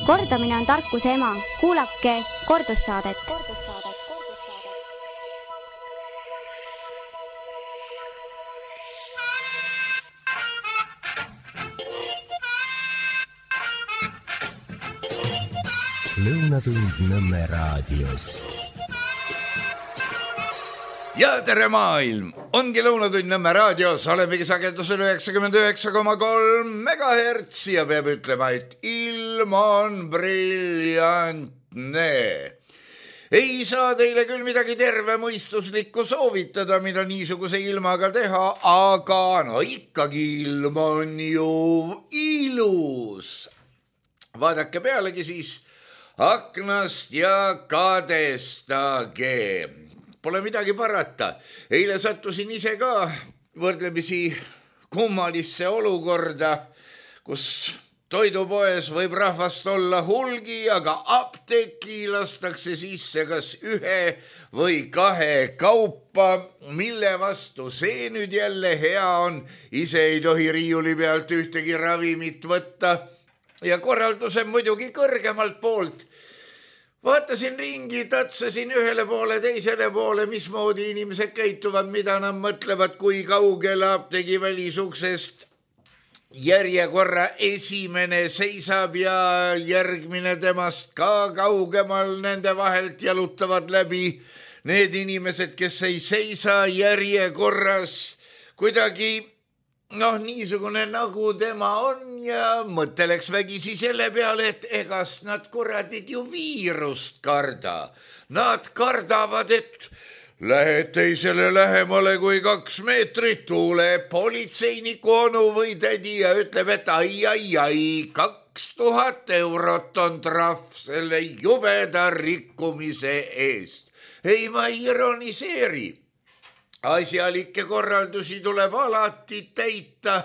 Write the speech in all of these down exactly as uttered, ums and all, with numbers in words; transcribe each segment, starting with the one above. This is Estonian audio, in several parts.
Kordamine on tarkuse ema. Kuulake kordussaadet. Lõunatund Nõmme raadios. Ja tere maailm! Ongi Lõunatund Nõmme raadios, olemegi sagedusel üheksakümmend üheksa koma kolm megahertsi ja peab ütlema, et ilm on briljantne. Ei saa teile küll midagi tervemõistuslikku soovitada, mida niisuguse ilmaga teha, aga no ikkagi ilm on ju ilus. Vaadake pealegi siis aknast ja kadestage. Pole midagi parata. Eile sattusin ise ka võrdlemisi kummalisse olukorda, kus toidupoes võib rahvast olla hulgi, aga apteeki lastakse sisse kas ühe või kahe kaupa, mille vastu see nüüd jälle hea on. Ise ei tohi riiuli pealt ühtegi ravimit võtta ja korralduse muidugi kõrgemalt poolt. Vaatasin ringi, tatsasin ühele poole, teisele poole, mismoodi inimesed käituvad, mida nad mõtlevad, kui kaugele apteegi välisuksest järjekorra esimene seisab ja järgmine temast ka kaugemal nende vahelt jalutavad läbi need inimesed, kes ei seisa järjekorras kuidagi noh, niisugune nagu tema on ja mõtteleks vägisi selle peale, et egas nad kuradid ju viirust karda. Nad kardavad, et lähed teisele lähemale kui kaks meetrit, tuleb politseiniku onu või tädi ja ütleb, et ai, ai, ai, kaks tuhat eurot on trahv selle jubeda rikkumise eest. Ei, ma ei ironiseeri. Asjalikke korraldusi tuleb alati täita,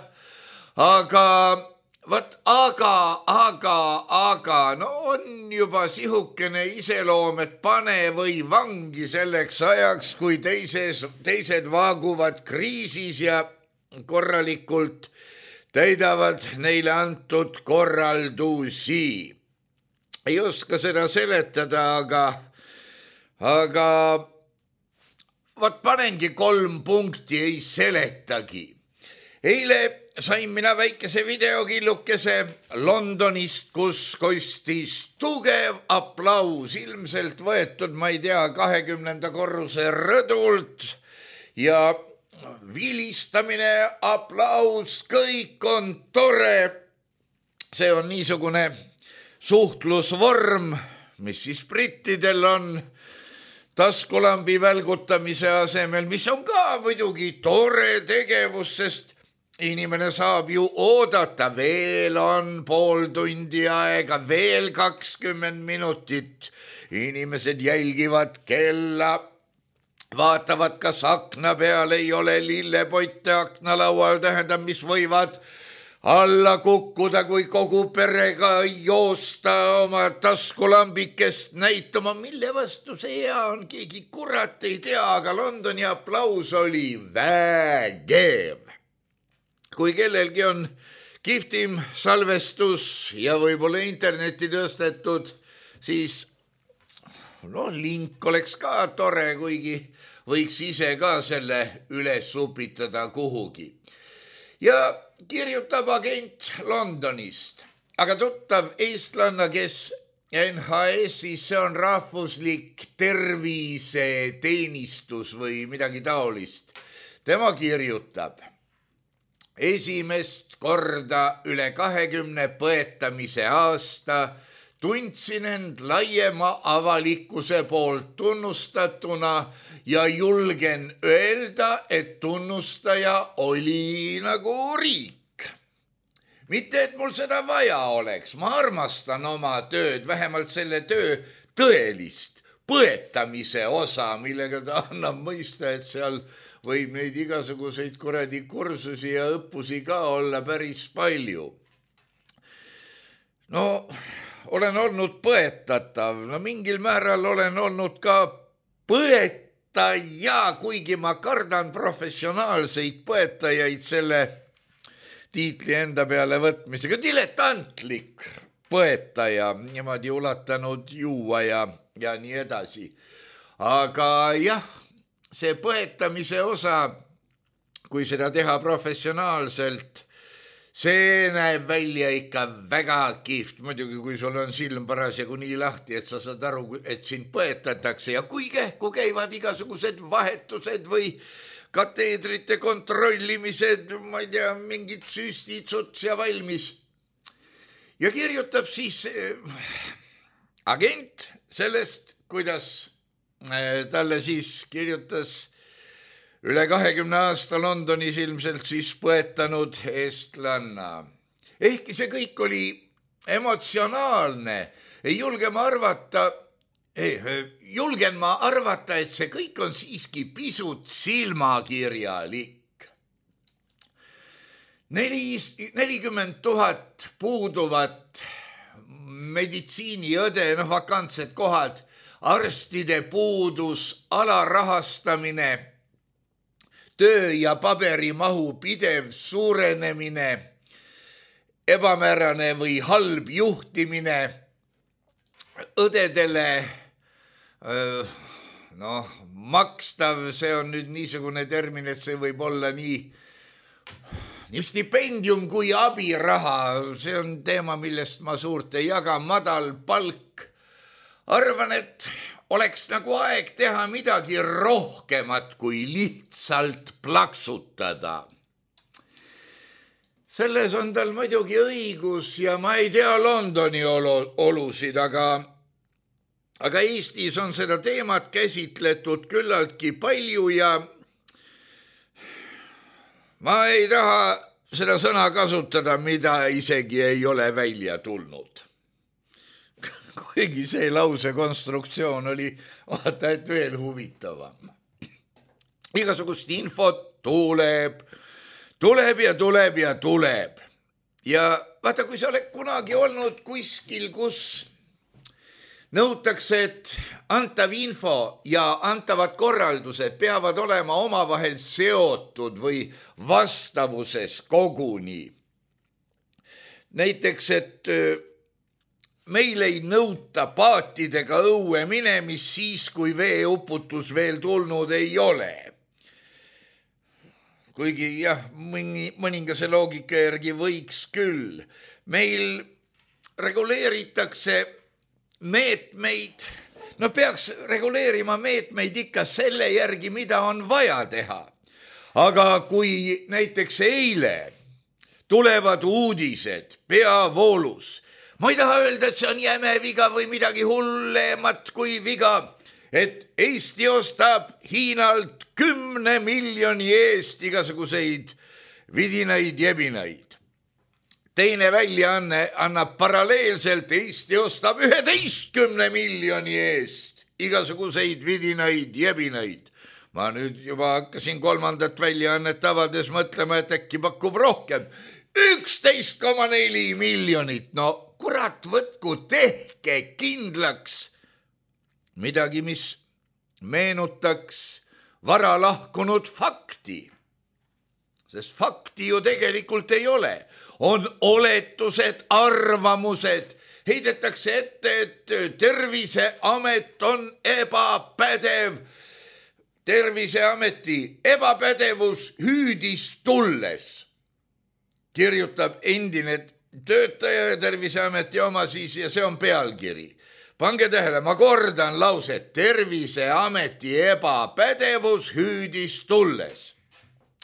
aga, võt, aga, aga, aga, no on juba sihukene iseloom, et pane või vangi selleks ajaks, kui teises, teised vaaguvad kriisis ja korralikult täidavad neile antud korraldusi. Ei oska seda seletada, aga, aga Vat panengi kolm punkti, ei seletagi. Eile sain mina väikese videokillukese Londonist, kus kostis tugev aplaus, ilmselt võetud, ma ei tea, kahekümnenda korruse rõdult ja vilistamine, aplaus, kõik on tore. See on niisugune suhtlusvorm, mis siis brittidel on, taskulambi välgutamise asemel, mis on ka muidugi tore tegevus, sest inimene saab ju oodata, veel on pool tundi aega, veel kakskümmend minutit. Inimesed jälgivad kella, vaatavad, kas akna peal ei ole lillepotte aknalaual, tähendab, mis võivad alla kukkuda, kui kogu perega joosta oma taskulambikest näitama, mille vastu see hea on, keegi kurat ei tea, aga Londoni aplaus oli vägev. Kui kellelgi on kihvtim salvestus ja võib-olla interneti tõstetud, siis no link oleks ka tore, kuigi võiks ise ka selle üles upitada kuhugi. Ja kirjutab agent Londonist, aga tuttav eestlanna, kes N H S-is, see on rahvuslik terviseteenistus või midagi taolist. Tema kirjutab, esimest korda üle kahekümne põetamise aasta tundsin end laiema avalikkuse poolt tunnustatuna ja julgen öelda, et tunnustaja oli nagu riik. Mitte, et mul seda vaja oleks, ma armastan oma tööd, vähemalt selle töö tõelist põetamise osa, millega ta annab mõista, et seal võib neid igasuguseid kuradi kursusi ja õppusi ka olla päris palju. No olen olnud põetatav, no mingil määral olen olnud ka põetaja, kuigi ma kardan professionaalseid põetajaid selle tiitli enda peale võtmisega. Diletantlik põeta ja niimoodi ulatanud juua ja, ja nii edasi. Aga jah, see põetamise osa, kui seda teha professionaalselt, see näeb välja ikka väga kihvt. Muidugi, kui sul on silm parasjagu nii lahti, et sa saad aru, et sind põetatakse ja kui kähku käivad igasugused vahetused või kateedrite kontrollimised, ma ei tea, mingid süstid, suts ja valmis. Ja kirjutab siis agent sellest, kuidas talle siis kirjutas üle kahekümne aasta Londonis ilmselt siis põetanud eestlanna. Ehkki see kõik oli emotsionaalne, ei julge ma arvata, ei, julgen ma arvata, et see kõik on siiski pisut silmakirjalik. Neli, nelikümmend tuhat puuduvat meditsiiniõde, noh, vakantsed kohad, arstide puudus, alarahastamine, töö ja paberimahu pidev suurenemine, ebamäärane või halb juhtimine, õdedele noh, makstav, see on nüüd niisugune termin, et see võib olla nii, nii stipendium kui abiraha, see on teema, millest ma suurt ei jaga, madal palk. Arvan, et oleks nagu aeg teha midagi rohkemat kui lihtsalt plaksutada. Selles on tal muidugi õigus ja ma ei tea Londoni olusid, aga, aga Eestis on seda teemat käsitletud küllaltki palju ja ma ei taha seda sõna kasutada, mida isegi ei ole välja tulnud. Kuigi see lause konstruktsioon oli vaata, et veel huvitavam. Igasugust infot tuleb, tuleb ja tuleb ja tuleb. Ja vaata, kui sa oled kunagi olnud kuskil, kus nõutakse, et antav info ja antavad korraldused peavad olema omavahel seotud või vastavuses koguni. Näiteks, et meil ei nõuta paatidega õue minemis siis, kui veeuputus veel tulnud ei ole. Kuigi jah, mõningase loogika järgi võiks küll. Meil reguleeritakse meetmeid, no peaks reguleerima meetmeid ikka selle järgi, mida on vaja teha. Aga kui näiteks eile tulevad uudised peavoolus, ma ei taha öelda, et see on jäme viga või midagi hullemat kui viga, et Eesti ostab Hiinalt kümne miljoni eest igasuguseid vidinaid jebinaid. Teine väljaanne annab paralleelselt, Eesti ostab üheteistkümne miljoni eest igasuguseid vidinaid jebinaid. Ma nüüd juba hakkasin kolmandat väljaannet avades mõtlema, et äkki pakub rohkem. üksteist koma neli miljonit, no kurat võtku, tehke kindlaks midagi, mis meenutaks vara lahkunud fakti. Sest fakti ju tegelikult ei ole. On oletused, arvamused. Heidetakse ette, et Terviseamet on ebapädev. Terviseameti ebapädevus hüüdis tulles. Kirjutab endine töötaja Terviseameti oma siis ja see on pealkiri. Pange tähele, ma kordan lauset. Terviseameti ebapädevus hüüdis tulles.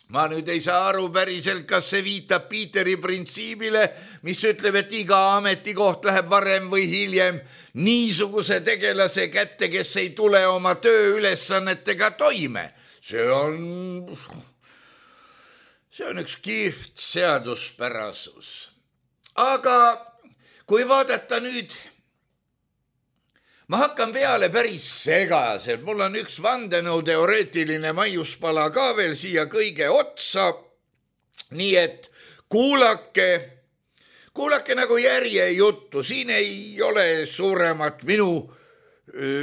Ma nüüd ei saa aru päriselt, kas see viitab Piiteri printsiibile, mis ütleb, et iga ametikoht läheb varem või hiljem niisuguse tegelase kätte, kes ei tule oma tööülesannetega toime. See on, see on üks kihvt seaduspärasus. Aga kui vaadata nüüd, ma hakkan peale päris segaselt. Mul on üks vandenõuteoreetiline maiuspala ka veel siia kõige otsa. Nii et kuulake, kuulake nagu järje juttu. Siin ei ole suuremat minu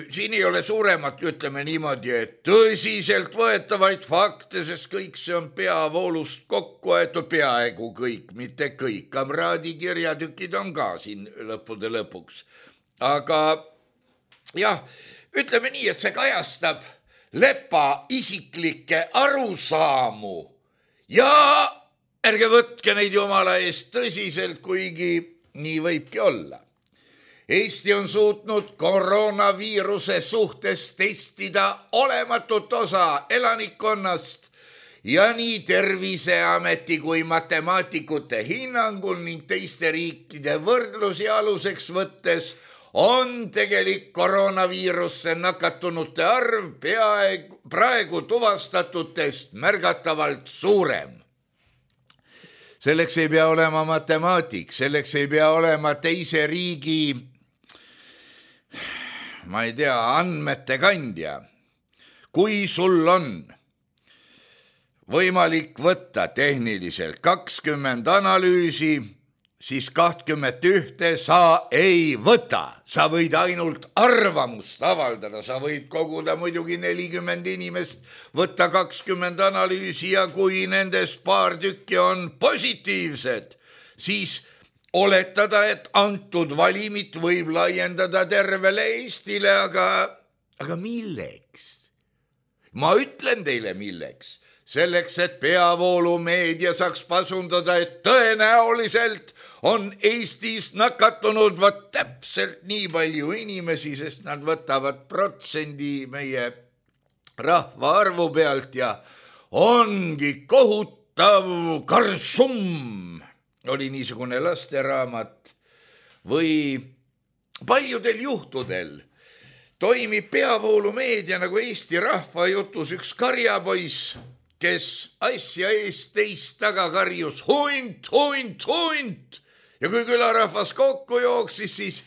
siin ei ole suuremat, ütleme niimoodi, et tõsiselt võetavaid fakte, sest kõik see on peavoolust kokku aetud, peaaegu kõik, mitte kõik. Kamraadi kirjatükid on ka siin lõppude lõpuks. Aga jah, ütleme nii, et see kajastab Lepa isiklikke arusaamu ja ärge võtke neid jumala eest tõsiselt, kuigi nii võibki olla. Eesti on suutnud koroonaviiruse suhtes testida olematut osa elanikkonnast ja nii Terviseameti kui matemaatikute hinnangul ning teiste riikide võrdlusi aluseks võttes on tegelik koroonaviirusse nakatunute arv peaaegu praegu tuvastatutest märgatavalt suurem. Selleks ei pea olema matemaatik, selleks ei pea olema teise riigi, ma ei tea, andmete kandja. Kui sul on võimalik võtta tehniliselt kakskümmend analüüsi, siis kakskümmend ühte sa ei võta. Sa võid ainult arvamust avaldada, sa võid koguda muidugi nelikümmend inimest, võtta kakskümmend analüüsi ja kui nendest paar tükki on positiivsed, siis oletada, et antud valimit võib laiendada tervele Eestile, aga, aga milleks? Ma ütlen teile milleks. Selleks, et peavoolumeedia saaks pasundada, et tõenäoliselt on Eestis nakatunud võt täpselt nii palju inimesi, sest nad võtavad protsendi meie rahvaarvu pealt ja ongi kohutav karsum, oli niisugune lasteraamat, või paljudel juhtudel toimib peavoolumeedia nagu Eesti rahvajutus üks karjapoiss, kes asja eest teist taga karjus hunt, hunt, hunt ja kui külarahvas kokku jooksis, siis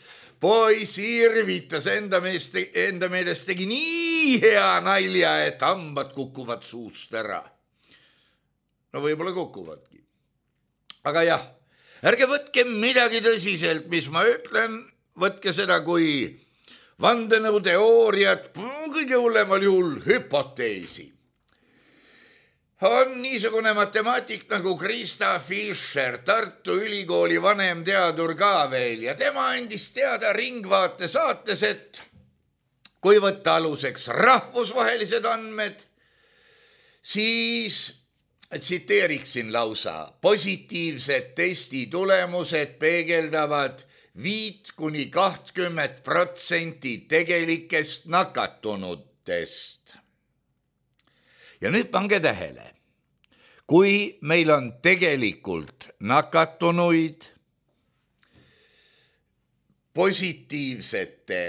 poiss irvitas enda meelest, enda meelest tegi nii hea nalja, et hambad kukuvad suust ära. No võib-olla kukuvadki. Aga jah, ärge võtke midagi tõsiselt, mis ma ütlen, võtke seda kui vandenõuteooriat, kõige hullemal juhul hüpoteesi. On niisugune matemaatik nagu Krista Fischer, Tartu Ülikooli vanemteadur ka veel ja tema andis teada Ringvaate saates, et kui võtta aluseks rahvusvahelised andmed, siis tsiteeriksin lausa, positiivsed testi tulemused peegeldavad viit kuni kahtkümmend protsenti tegelikest nakatunutest. Ja nüüd pange tähele, kui meil on tegelikult nakatunuid positiivsete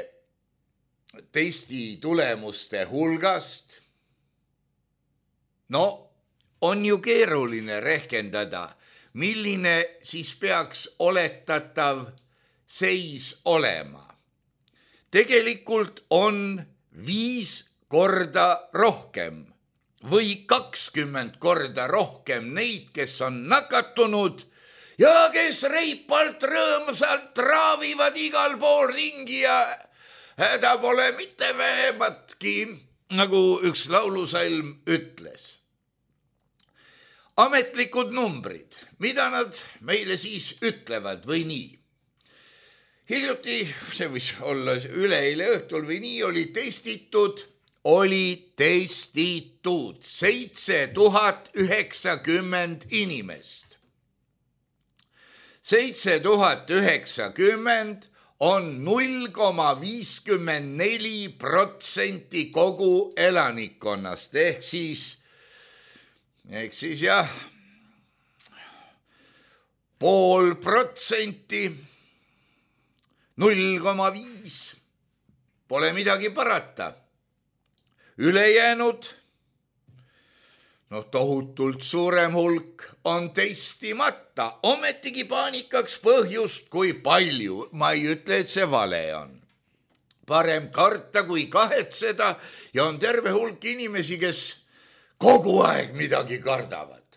testi tulemuste hulgast, no on ju keeruline rehkendada, milline siis peaks oletatav seis olema. Tegelikult on viis korda rohkem või kakskümmend korda rohkem neid, kes on nakatunud ja kes reipalt rõõmsalt traavivad igal pool ringi ja häda pole mitte vähematki, nagu üks laulusalm ütles. Ametlikud numbrid, mida nad meile siis ütlevad või nii? Hiljuti, see võis olla üleeile õhtul või nii, oli testitud, oli testitud seitse tuhat üheksakümmend inimest. seitse tuhat üheksakümmend on null koma viiskümmend neli protsenti kogu elanikkonnast, ehk siis, ehk siis jah, pool protsenti, null koma viis, pole midagi parata. Ülejäänud, noh tohutult suurem hulk on testimata, ometigi paanikaks põhjust kui palju, ma ei ütle, et see vale on. Parem karta kui kahetseda ja on terve hulk inimesi, kes kogu aeg midagi kardavad.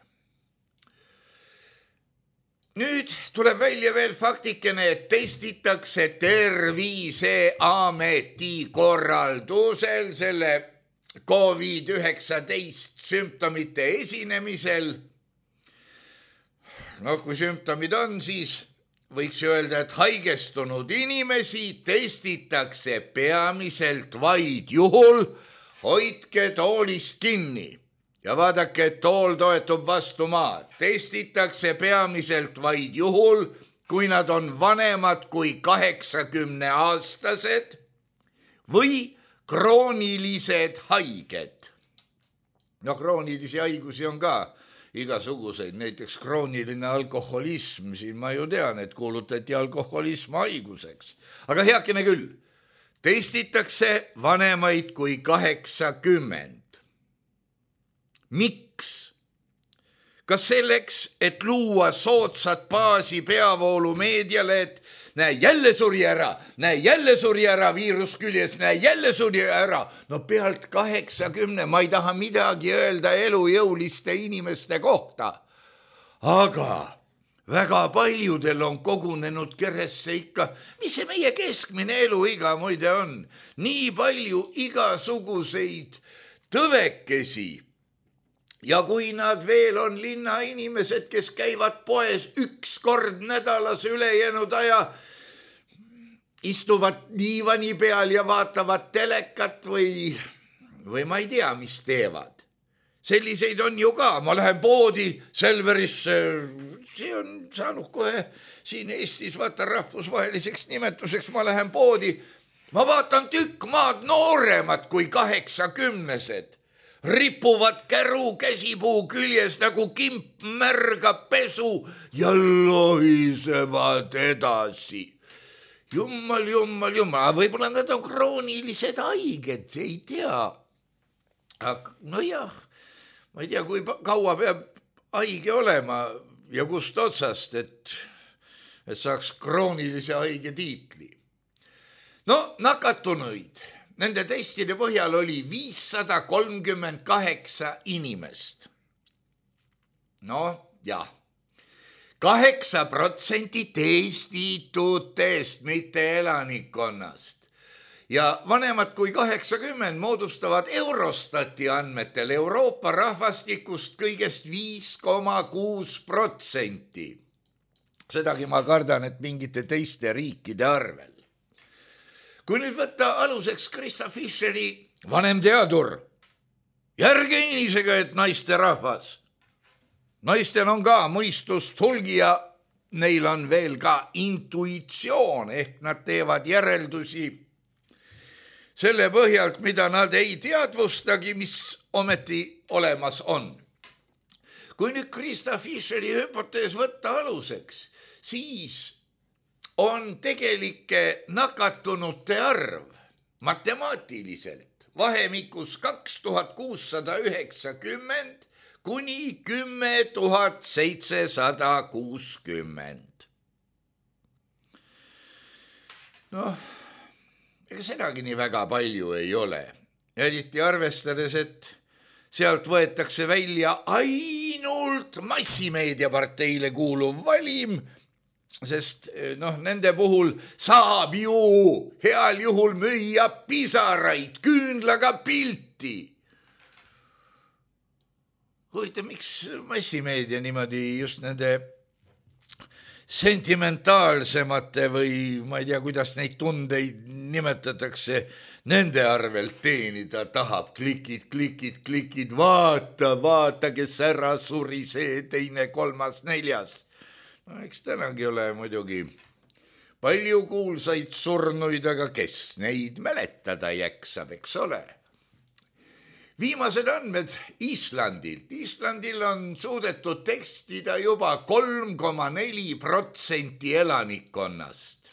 nüüd tuleb välja veel faktikene, et testitakse Terviseameti korraldusel selle Covid üheksateist sümptomite esinemisel. No kui sümptomid on, siis võiks öelda, et haigestunud inimesi testitakse peamiselt vaid juhul, hoidke toolist kinni ja vaadake, et tool toetub vastu maad. Testitakse peamiselt vaid juhul, kui nad on vanemad kui kaheksakümne aastased või kroonilised haiged. No kroonilisi haigusi on ka igasuguseid, näiteks krooniline alkoholism, siin ma ju tean, et kuulutati alkoholism haiguseks. Aga heakene küll, testitakse vanemaid kui kaheksakümmend. Miks? Kas selleks, et luua soodsat baasi peavoolumeediale, et näe, jälle suri ära, näe, jälle suri ära viirus küljes, näe, jälle suri ära. No pealt kaheksakümne, ma ei taha midagi öelda elujõuliste inimeste kohta. Aga väga paljudel on kogunenud keresse ikka, mis see meie keskmine eluiga muide on. Nii palju igasuguseid tõvekesi. Ja kui nad veel on linnainimesed, kes käivad poes üks kord nädalas ülejäänud aja, istuvad diivani peal ja vaatavad telekat või, või ma ei tea, mis teevad. Selliseid on ju ka. Ma lähen poodi Selverisse, see on saanud kohe siin Eestis vaata rahvusvaheliseks nimetuseks, ma lähen poodi. Ma vaatan tükk maad nooremad kui kaheksakümnesed. Ripuvad käru käsipuu küljes nagu kimp märga pesu ja lohisevad edasi. Jummal, jummal, jummal, võib-olla nad on kroonilised haiged, see ei tea. Aga no jah, ma ei tea, kui kaua peab haige olema ja kust otsast, et, et saaks kroonilise haige tiitli. No nakatunuid. Nende testide põhjal oli viissada kolmkümmend kaheksa inimest. No jah, kaheksa protsenti testitutest, mitte elanikkonnast. Ja vanemad kui kaheksakümmend moodustavad Eurostati andmetel Euroopa rahvastikust kõigest viis koma kuus protsenti. Sedagi ma kardan, et mingite teiste riikide arvel. Kui nüüd võtta aluseks Krista Fischeri vanem teadur, järge inisega, et naiste rahvas. Naistel on ka mõistust hulgi ja neil on veel ka intuitsioon, ehk nad teevad järeldusi selle põhjalt, mida nad ei teadvustagi, mis ometi olemas on. Kui nüüd Krista Fischeri hüpotees võtta aluseks, siis on tegelike nakatunute arv matemaatiliselt vahemikus kaks tuhat kuussada üheksakümmend kuni kümme tuhat seitsesada kuuskümmend. Noh, ega sedagi nii väga palju ei ole. Eriti arvestades, et sealt võetakse välja ainult massimeediaparteile kuuluv valim, sest noh, nende puhul saab ju heal juhul müüa pisaraid, küünlaga pilti. Huvitav, miks massimeedia niimoodi just nende sentimentaalsemate või ma ei tea, kuidas neid tundeid nimetatakse, nende arvelt teenida tahab. Klikid, klikid, klikid, vaata, vaata, kes ära suri, see teine, kolmas, neljas. No, eks tänagi ole muidugi palju kuulsaid surnuid, aga kes neid mäletada jäksab, eks ole. Viimased andmed Islandilt. Islandil on suudetud tekstida juba kolm koma neli protsenti elanikkonnast.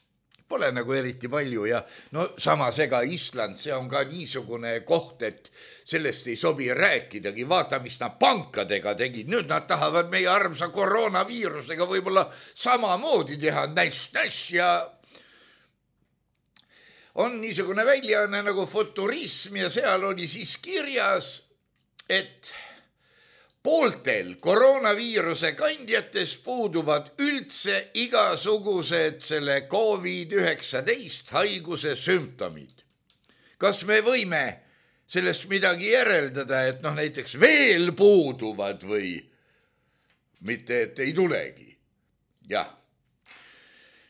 Pole nagu eriti palju ja no samas ega Island, see on ka niisugune koht, et sellest ei sobi rääkidagi. Vaata, mis nad pankadega tegid. Nüüd nad tahavad meie armsa koroonaviirusega võib-olla samamoodi teha. Näš, näš ja on niisugune väljaanne nagu Futurism ja seal oli siis kirjas, et pooltel koroonaviiruse kandjates puuduvad üldse igasugused selle koovid üheksateist haiguse sümptomid. Kas me võime sellest midagi järeldada, et noh näiteks veel puuduvad või mitte, et ei tulegi? Jah.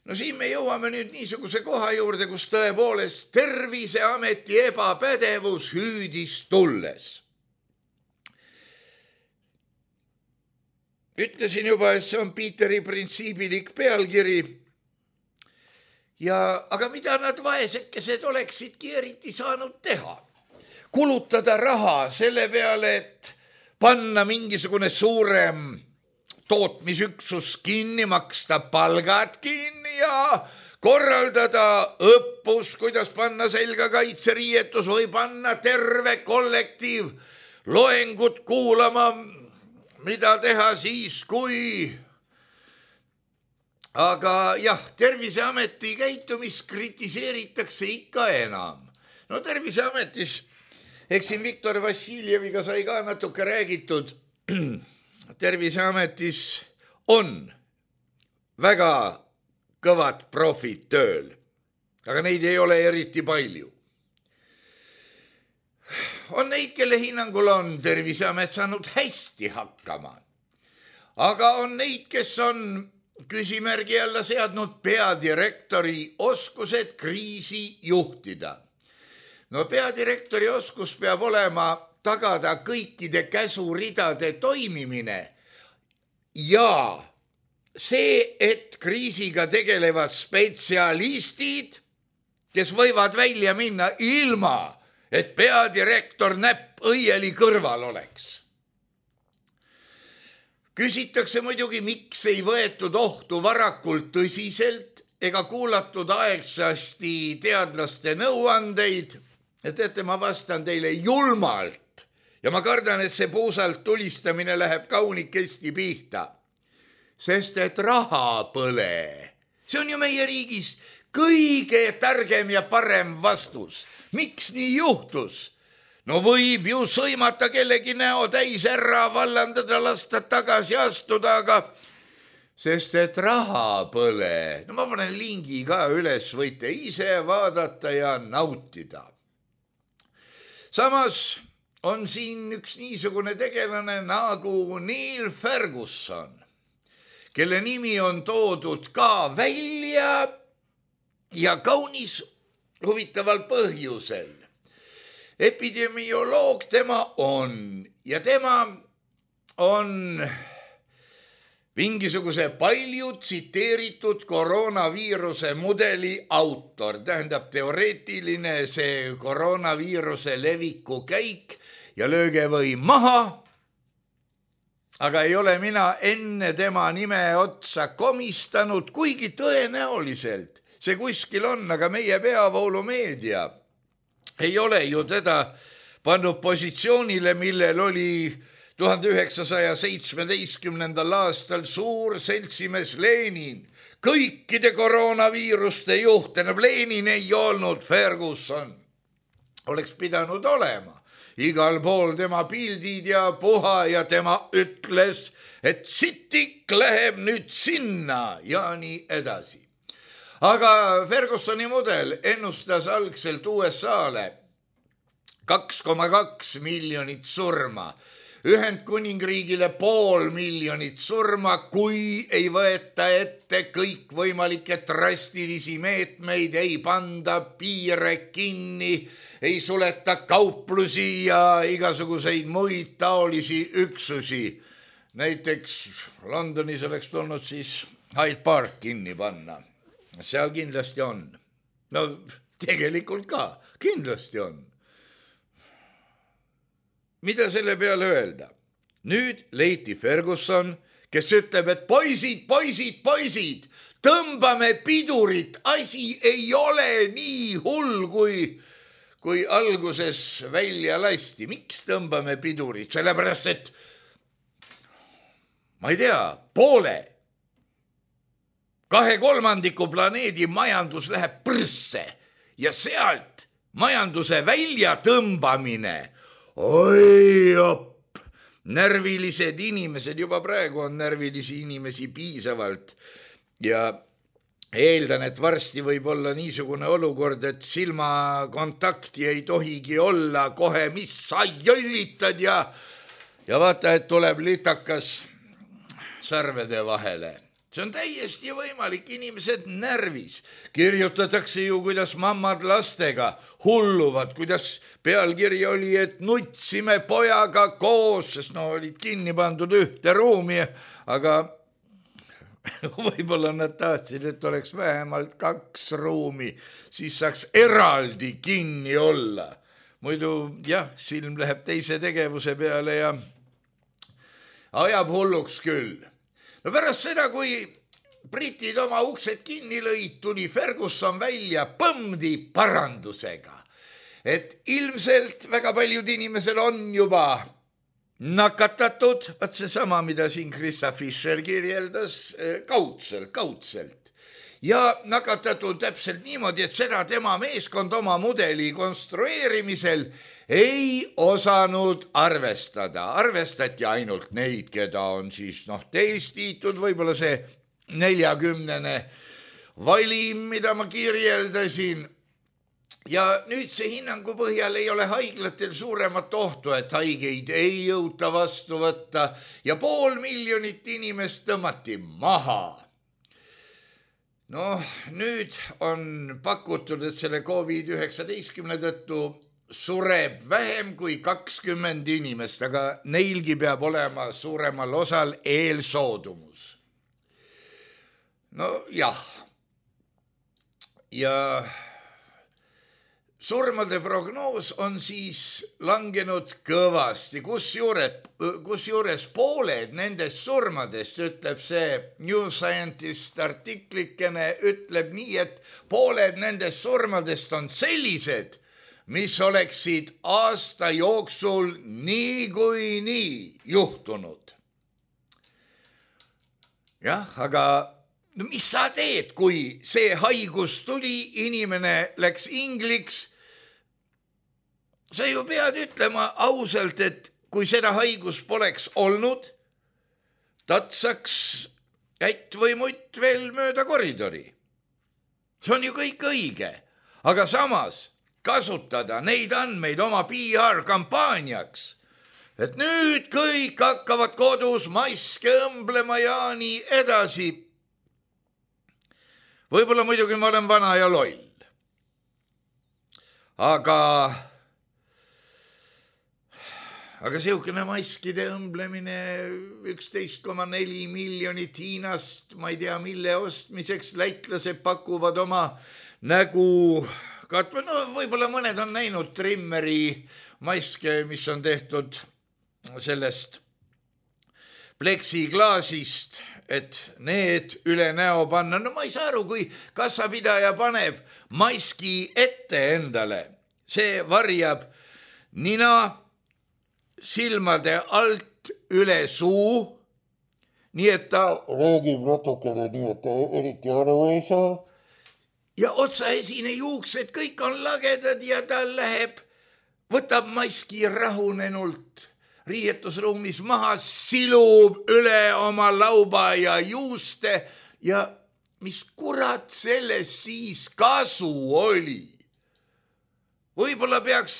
No siin me jõuame nüüd niisuguse koha juurde, kus tõepoolest Terviseameti ebapädevus hüüdis tulles. Ütlesin juba, et see on Piiteri printsiibilik pealkiri. Ja, aga mida nad vaesekesed oleksidki eriti saanud teha? Kulutada raha selle peale, et panna mingisugune suurem tootmisüksus kinni, maksta palgad kinni ja korraldada õppus, kuidas panna selga kaitseriietus või panna terve kollektiiv loengut kuulama, mida teha siis, kui... Aga jah, Terviseameti käitumist kritiseeritakse ikka enam. No Terviseametis, eks siin Viktor Vassiljeviga sai ka natuke räägitud, Terviseametis on väga kõvad profid tööl, aga neid ei ole eriti palju. On neid, kelle hinnangul on Terviseamet saanud hästi hakkama, aga on neid, kes on küsimärgi alla seadnud peadirektori oskused kriisi juhtida. No peadirektori oskus peab olema tagada kõikide käsuridade toimimine ja see, et kriisiga tegelevad spetsialistid, kes võivad välja minna ilma, et peadirektor näpp õieli kõrval oleks. Küsitakse muidugi, miks ei võetud ohtu varakult tõsiselt ega kuulatud aegsasti teadlaste nõuandeid. Ja teate, ma vastan teile julmalt ja ma kardan, et see puusalt tulistamine läheb kaunikesti pihta. Sest et raha põle, see on ju meie riigis kõige targem ja parem vastus. Miks nii juhtus? No võib ju sõimata kellegi näo täis ära, vallandada, lasta tagasi astuda, aga sest et raha põle. No ma panen lingi ka üles, võite ise vaadata ja nautida. Samas on siin üks niisugune tegelane nagu Neil Ferguson, kelle nimi on toodud ka välja ja kaunis huvitaval põhjusel. Epidemioloog tema on ja tema on mingisuguse palju tsiteeritud koroonaviiruse mudeli autor, tähendab teoreetiline see koroonaviiruse leviku käik ja lööge või maha, aga ei ole mina enne tema nime otsa komistanud, kuigi tõenäoliselt see kuskil on, aga meie peavoolumeedia ei ole ju teda pannud positsioonile, millel oli tuhande üheksasaja seitsmeteistkümnendal aastal suur seltsimees Lenin, kõikide koroonaviiruste juht, enam Lenin ei olnud, Ferguson oleks pidanud olema. Igal pool tema pildid ja puha ja tema ütles, et sitik läheb nüüd sinna ja nii edasi. Aga Fergusoni mudel ennustas algselt U S A-le kaks koma kaks miljonit surma, Ühendkuningriigile pool miljonit surma, kui ei võeta ette kõik võimalikke drastilisi meetmeid, ei panda piire kinni, ei suleta kauplusi ja igasuguseid muid taolisi üksusi. Näiteks Londonis oleks tulnud siis Hyde Park kinni panna. Seal kindlasti on. No tegelikult ka, kindlasti on. Mida selle peale öelda? Nüüd leiti Ferguson, kes ütleb, et poisid, poisid, poisid, tõmbame pidurit, asi ei ole nii hull, kui, kui alguses välja lasti. Miks tõmbame pidurit? Sellepärast, et ma ei tea, poole, kahe kolmandiku planeedi majandus läheb prsse ja sealt majanduse välja tõmbamine oi op, närvilised inimesed, juba praegu on närvilisi inimesi piisavalt ja eeldan, et varsti võib olla niisugune olukord, et silmakontakti ei tohigi olla kohe, mis sa jõllitad ja, ja vaata, et tuleb litakas sarvede vahele. See on täiesti võimalik, inimesed närvis. Kirjutatakse ju, kuidas mammad lastega hulluvad, kuidas pealkiri oli, et nutsime pojaga koos, sest no olid kinni pandud ühte ruumi, aga võib-olla nad tahtsid, et oleks vähemalt kaks ruumi, siis saaks eraldi kinni olla. Muidu jah, silm läheb teise tegevuse peale ja ajab hulluks küll. No pärast seda, kui britid oma uksed kinni lõid, tuli Ferguson välja põmdi parandusega. Et ilmselt väga paljud inimesel on juba nakatatud, vaat see sama, mida siin Krista Fischer kirjeldas, kaudselt, kaudselt. Ja nakatatud täpselt niimoodi, et seda tema meeskond oma mudeli konstrueerimisel ei osanud arvestada. Arvestati ainult neid, keda on siis noh, testitud, võib-olla see neljakümnene valim, mida ma kirjeldasin. Ja nüüd see hinnangu põhjal ei ole haiglatel suuremat ohtu, et haigeid ei jõuta vastu võtta ja pool miljonit inimest tõmmati maha. No nüüd on pakutud, et selle covid üheksateist tõttu sureb vähem kui kakskümmend inimest, aga neilgi peab olema suuremal osal eelsoodumus. No jah. Ja surmade prognoos on siis langenud kõvasti, kus juures, kus juures pooled nendest surmadest, ütleb see New Scientist artiklikene, ütleb nii, et pooled nendest surmadest on sellised, mis oleksid aasta jooksul nii kui nii juhtunud. Jah, aga no mis sa teed, kui see haigus tuli, inimene läks ingliks? Sa ju pead ütlema ausalt, et kui seda haigus poleks olnud, tatsaks ätt või mutt veel mööda koridori. See on ju kõik õige, aga samas kasutada neid andmeid oma P R-kampaaniaks, et nüüd kõik hakkavad kodus maske õmblema ja nii edasi. Võib-olla muidugi ma olen vana ja loll. Aga, aga siukene maskide õmblemine üksteist koma neli miljonit Hiinast, ma ei tea mille ostmiseks, läitlased pakuvad oma nägu katva. No võib-olla mõned on näinud trimmeri maske, mis on tehtud sellest pleksiklaasist, et need üle näo panna. No ma ei saa aru, kui kassapidaja paneb maski ette endale. See varjab nina silmade alt üle suu, nii et ta räägib natukene nii, et ta eriti aru ei saa. Ja otsaesine juuksed, kõik on lagedad ja ta läheb, võtab maski rahunenult riietusruumis maha, silub üle oma lauba ja juuste ja mis kurat sellest siis kasu oli? Võib-olla peaks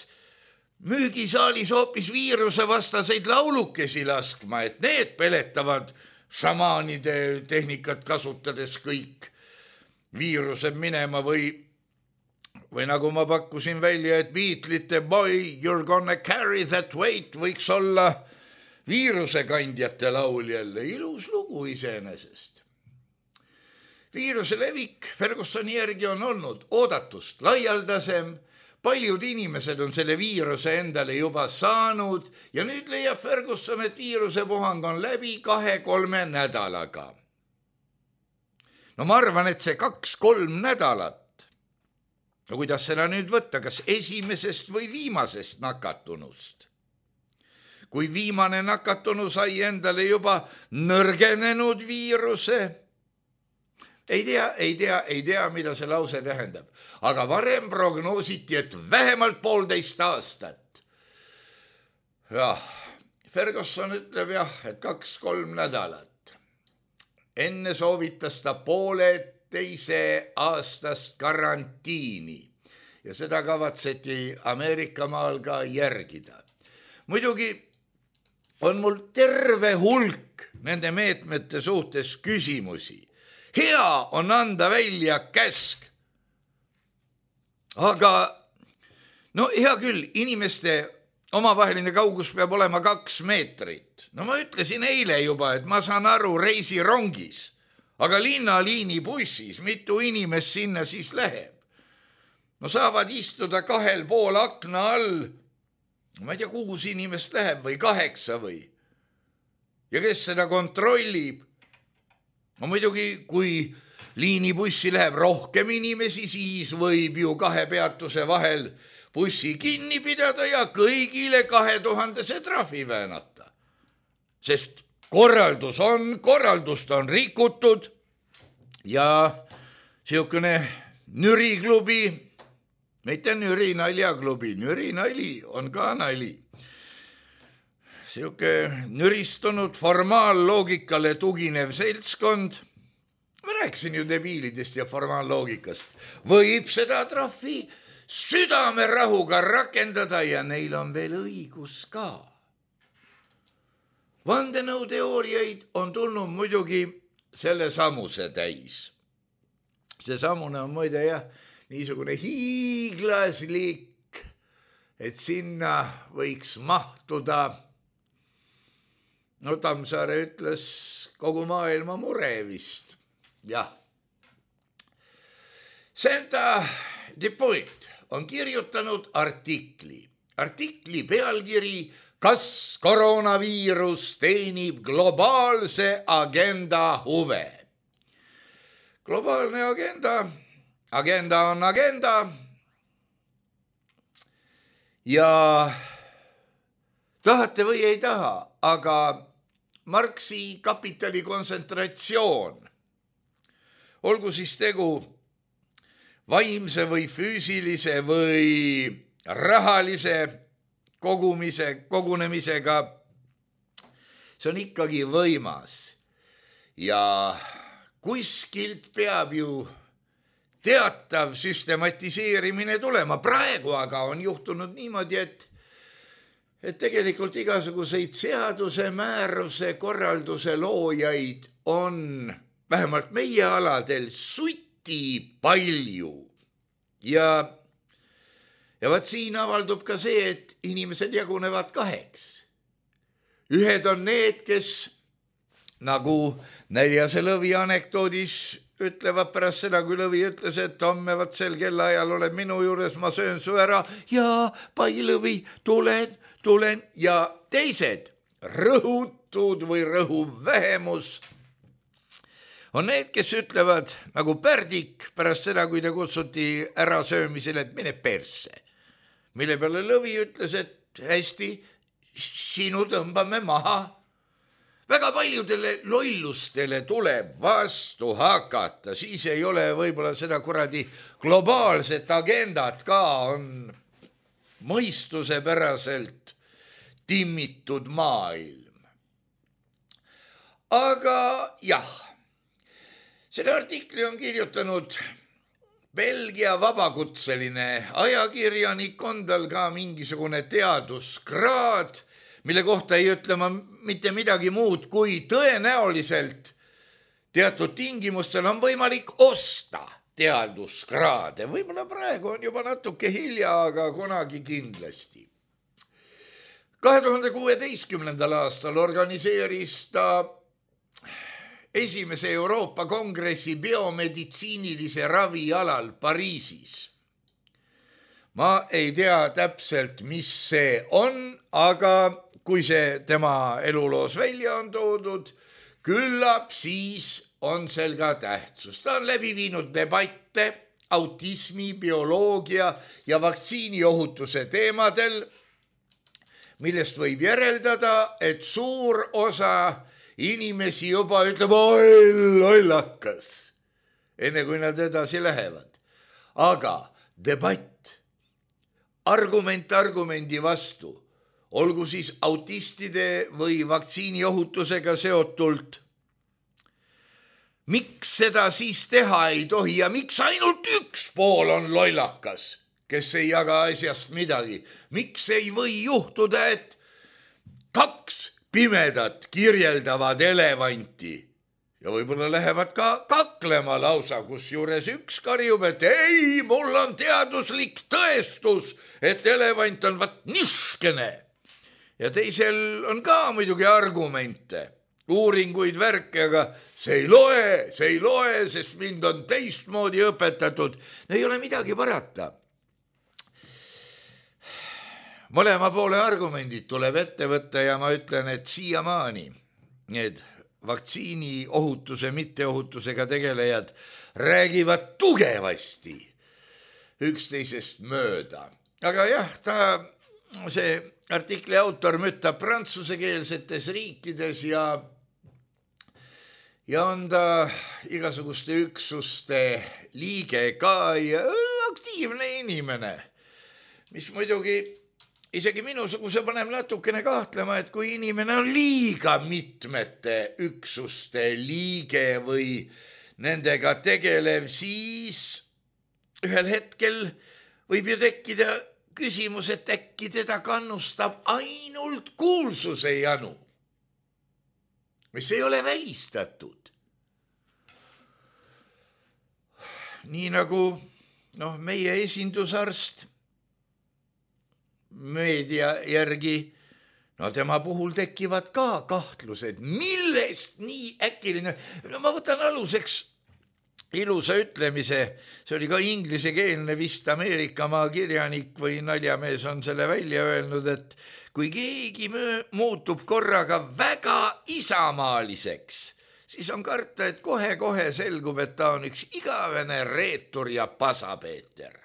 müügisaalis hoopis viiruse vastaseid laulukesi laskma, et need peletavad šamaanide tehnikat kasutades kõik viirused minema või Või nagu ma pakkusin välja, et Beatlesite Boy, you're gonna carry that weight võiks olla viirusekandjate lauljale. Ilus lugu iseenesest. Viiruse levik Fergusoni järgi on olnud oodatust laialdasem. Paljud inimesed on selle viiruse endale juba saanud ja nüüd leiab Ferguson, et viiruse puhang on läbi kahe-kolme nädalaga. No ma arvan, et see kaks-kolm nädalat. No kuidas seda nüüd võtta, kas esimesest või viimasest nakatunust? Kui viimane nakatunu sai endale juba nõrgenenud viiruse, ei tea, ei tea, ei tea, mida see lause tähendab. Aga varem prognoositi, et vähemalt poolteist aastat. Jah, Ferguson ütleb jah, et kaks-kolm nädalat. Enne soovitas ta poole teise aastast karantiini ja seda kavatseti Ameerika maal ka järgida. Muidugi on mul terve hulk nende meetmete suhtes küsimusi. Hea on anda välja käsk. Aga no hea küll, inimeste omavaheline kaugus peab olema kaks meetrit. No ma ütlesin eile juba, et ma saan aru reisirongis, aga linnaliini bussis mitu inimest sinna siis läheb. No saavad istuda kahel pool akna all, ma ei tea, kuus inimest läheb või kaheksa või. Ja kes seda kontrollib? No muidugi, kui liinibussi läheb rohkem inimesi, siis võib ju kahe peatuse vahel bussi kinni pidada ja kõigile kahe tuhandese trahvi väänata. Sest korraldus on, korraldust on rikutud ja siukene nüriklubi, mitte nüri naljaklubi, nüri nali on ka nali. Siuke nüristunud formaalloogikale tuginev seltskond, ma rääkisin ju debiilidest ja formaalloogikast, võib seda trahvi südamerahuga rakendada ja neil on veel õigus ka. Vandenõuteooriaid on tulnud muidugi selle samuse täis. See samune on muide jah, niisugune hiiglaslik, et sinna võiks mahtuda, no Tammsaare ütles, kogu maailma mure vist. Jah. Senta Depoit on kirjutanud artikli. Artikli pealkiri, kas koroonaviirus teenib globaalse agenda huve. Globaalne agenda, agenda on agenda ja tahate või ei taha, aga Marxi kapitali kontsentratsioon, olgu siis tegu vaimse või füüsilise või rahalise kogumise, kogunemisega, see on ikkagi võimas. Ja kuskilt peab ju teatav süstematiseerimine tulema. Praegu aga on juhtunud niimoodi, et, et tegelikult igasuguseid seaduse, määruse, korralduse loojaid on vähemalt meie aladel suti palju. Ja, ja vaat siin avaldub ka see, et inimesed jagunevad kaheks. Ühed on need, kes nagu Näljase Lõvi anekdoodis ütlevad pärast seda, kui Lõvi ütles, et homme vaat sel kellaajal oled minu juures, ma söön su ära ja Pai Lõvi, tulen, tulen ja teised rõhutud või rõhuv vähemus on need, kes ütlevad nagu Pärdik pärast seda, kui ta kutsuti ära söömisele, et mine persse. Mille peale Lõvi ütles, et hästi, sinu tõmbame maha. Väga paljudele lollustele tuleb vastu hakata, siis ei ole võib-olla seda kuradi globaalset agendat ka, on mõistuse päraselt timmitud maailm. Aga jah, selle artikli on kirjutanud Belgia vabakutseline ajakirjanik, on tal ka mingisugune teaduskraad, mille kohta ei ütle ma mitte midagi muud, kui tõenäoliselt teatud tingimustel on võimalik osta teaduskraade. Võib-olla praegu on juba natuke hilja, aga kunagi kindlasti. kahe tuhande kuueteistkümnendal aastal organiseeris ta esimese Euroopa kongressi biomeditsiinilise ravi alal Pariisis. Ma ei tea täpselt, mis see on, aga kui see tema eluloos välja on toodud, küllap siis on sel ka tähtsus. Ta on läbi viinud debatte autismi, bioloogia ja vaktsiiniohutuse teemadel, millest võib järeldada, et suur osa inimesi juba ütleb, oi lollakas, enne kui nad edasi lähevad. Aga debatt, argument argumendi vastu, olgu siis autistide või vaktsiiniohutusega seotult. Miks seda siis teha ei tohi ja miks ainult üks pool on lollakas, kes ei jaga asjast midagi? Miks ei või juhtuda, et kaks pimedat kirjeldavad elevanti ja võib-olla lähevad ka kaklema lausa, kus juures üks karjub, et ei, mul on teaduslik tõestus, et elevant on vat niškene. Ja teisel on ka muidugi argumente, uuringuid, värke, aga see ei loe, see ei loe, sest mind on teistmoodi õpetatud. Ei ole midagi parata. Mõlema poole argumendid tuleb ette võtta ja ma ütlen, et siiamaani need vaktsiini ohutuse, mitteohutusega tegelejad räägivad tugevasti üksteisest mööda. Aga jah, ta, see artikli autor mütab prantsusekeelsetes riikides ja ja on ta igasuguste üksuste liige ka ja aktiivne inimene, mis muidugi isegi minusuguse paneb natukene kahtlema, et kui inimene on liiga mitmete üksuste liige või nendega tegelev, siis ühel hetkel võib ju tekkida küsimus, et äkki teda kannustab ainult kuulsuse janu, mis ei ole välistatud. Nii nagu noh, meie esindusarst meedia järgi, no tema puhul tekivad ka kahtlused, millest nii äkiline. No ma võtan aluseks ilusa ütlemise, see oli ka inglisekeelne vist Ameerikamaa kirjanik või naljamees on selle välja öelnud, et kui keegi muutub korraga väga isamaaliseks, siis on karta, et kohe-kohe selgub, et ta on üks igavene reetur ja pasapeeter.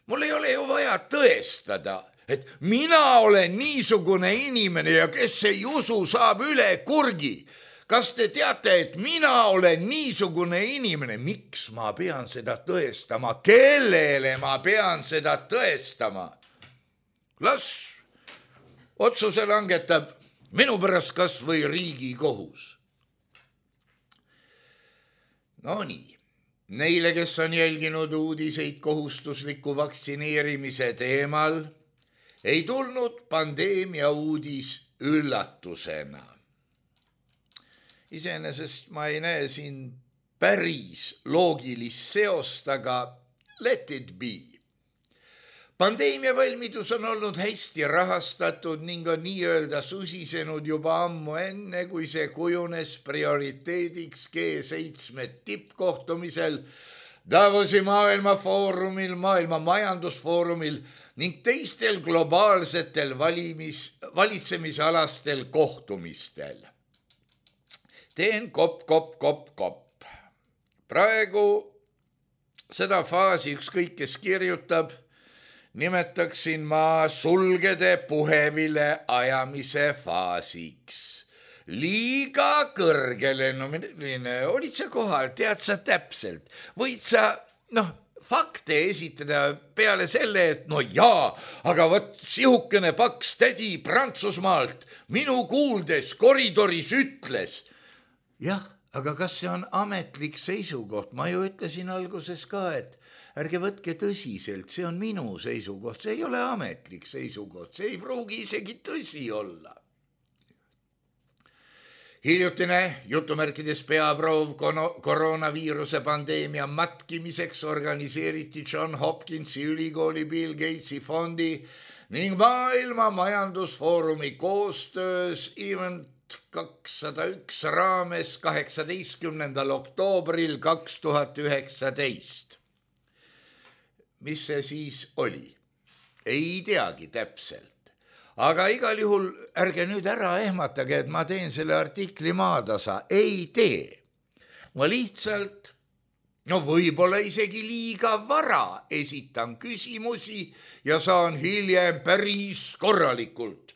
Mul ei ole ju vaja tõestada, et mina olen niisugune inimene ja kes ei usu, saab üle kurgi. Kas te teate, et mina olen niisugune inimene? Miks ma pean seda tõestama? Kellele ma pean seda tõestama? Las otsuse langetab minu pärast kas või Riigikohus. No nii, neile, kes on jälginud uudiseid kohustusliku vaktsineerimise teemal, ei tulnud pandeemia uudis üllatusena. Iseenesest ma ei näe siin päris loogilist seost, aga let it be. Pandeemia valmidus on olnud hästi rahastatud ning on nii-öelda susisenud juba ammu enne, kui see kujunes prioriteediks G seitsme tippkohtumisel, Davosi maailmafoorumil, maailma majandusfoorumil ning teistel globaalsetel valimis, valitsemisalastel kohtumistel. Teen kopp, kopp, kopp, kopp. Praegu seda faasi ükskõik, kes kirjutab, nimetaksin ma sulgede puhevile ajamise faasiks. Liiga kõrgelennuline, olid sa kohal, tead sa täpselt, võid sa, noh, fakte esitada peale selle, et no jaa, aga võt sihukene paks tädi Prantsusmaalt minu kuuldes koridoris ütles. Jah, aga kas see on ametlik seisukoht? Ma ju ütlesin alguses ka, et ärge võtke tõsiselt, see on minu seisukoht, see ei ole ametlik seisukoht, see ei pruugi isegi tõsi olla. Hiljutine jutumärkides peaproov koroonaviiruse pandeemia matkimiseks organiseeriti John Hopkinsi ülikooli, Bill Gatesi fondi ning maailma majandusfoorumi koostöös Event kakssada üks raames kaheksateistkümnendal oktoobril kaks tuhat üheksateist. Mis see siis oli? Ei teagi täpselt. Aga igal juhul ärge nüüd ära ehmatage, et ma teen selle artikli maatasa. Ei tee. Ma lihtsalt, no võib-olla isegi liiga vara esitan küsimusi ja saan hiljem päris korralikult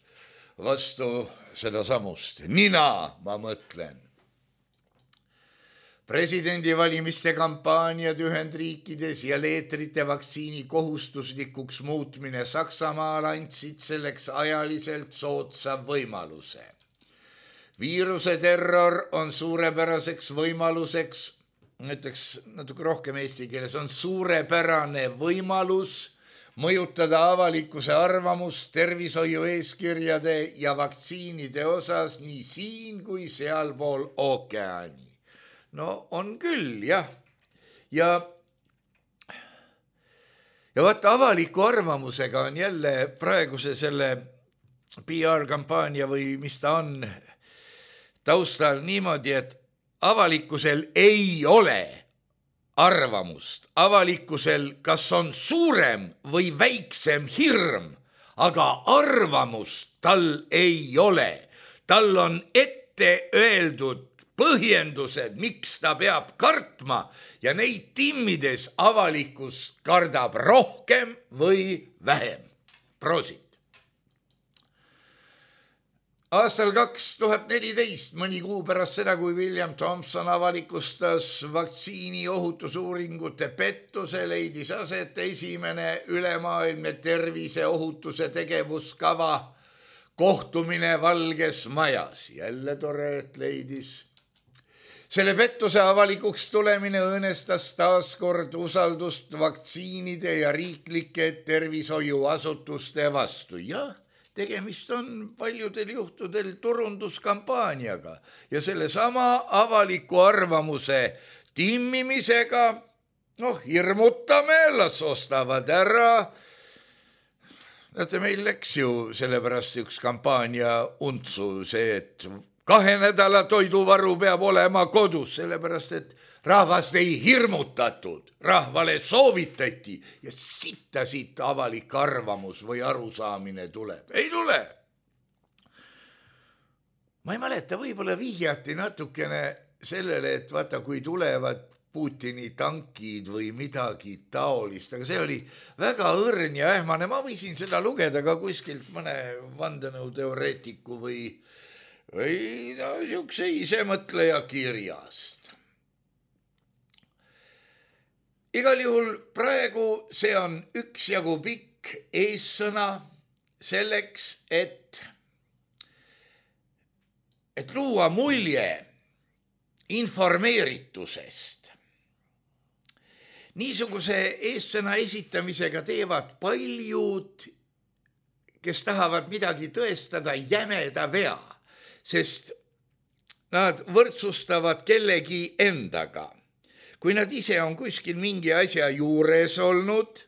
vastu seda samust. Nina, ma mõtlen. presidendivalimiste kampaaniad Ühendriikides ja leetrite vaktsiini kohustuslikuks muutmine Saksamaal andsid selleks ajaliselt soodsa võimaluse. Viiruse terror on suurepäraseks võimaluseks, näiteks natuke rohkem eesti keeles, on suurepärane võimalus mõjutada avalikkuse arvamust tervishoiu eeskirjade ja vaktsiinide osas nii siin kui sealpool ookeani. No on küll, jah. Ja, ja vaata, avaliku arvamusega on jälle praeguse selle P R-kampaania või mis ta on taustal niimoodi, et avalikkusel ei ole arvamust. Avalikkusel kas on suurem või väiksem hirm, aga arvamust tal ei ole. Tal on ette öeldud põhjendused, miks ta peab kartma ja neid timmides avalikkus kardab rohkem või vähem. Prosit. Aastal kaks tuhat neliteist, mõni kuu pärast seda, kui William Thompson avalikustas vaktsiini ohutusuuringute pettuse, leidis aset esimene ülemaailmne tervise ohutuse tegevuskava kohtumine Valges Majas. Jälle tore, et leidis. Selle pettuse avalikuks tulemine õõnestas taaskord usaldust vaktsiinide ja riiklike tervishoiuasutuste vastu. Jah, tegemist on paljudel juhtudel turunduskampaaniaga ja selle sama avaliku arvamuse timmimisega, noh, hirmutame, las ostavad ära. Näete, meil läks ju sellepärast üks kampaania untsu see, et kahe nädala toiduvaru peab olema kodus, sellepärast et rahvast ei hirmutatud, rahvale soovitati ja sitta siit avalik arvamus või arusaamine tuleb. Ei tule. Ma ei mäleta, võib-olla vihjati natukene sellele, et vaata, kui tulevad Putini tankid või midagi taolist, aga see oli väga õrn ja ähmane. Ma võisin seda lugeda ka kuskilt mõne vandenõuteoreetiku või või no, siukse isemõtleja kirjast. Igal juhul praegu see on üksjagu pikk eessõna selleks, et, et luua mulje informeeritusest. Niisuguse eessõna esitamisega teevad paljud, kes tahavad midagi tõestada, jämeda vea, sest nad võrdsustavad kellegi endaga. Kui nad ise on kuskil mingi asja juures olnud,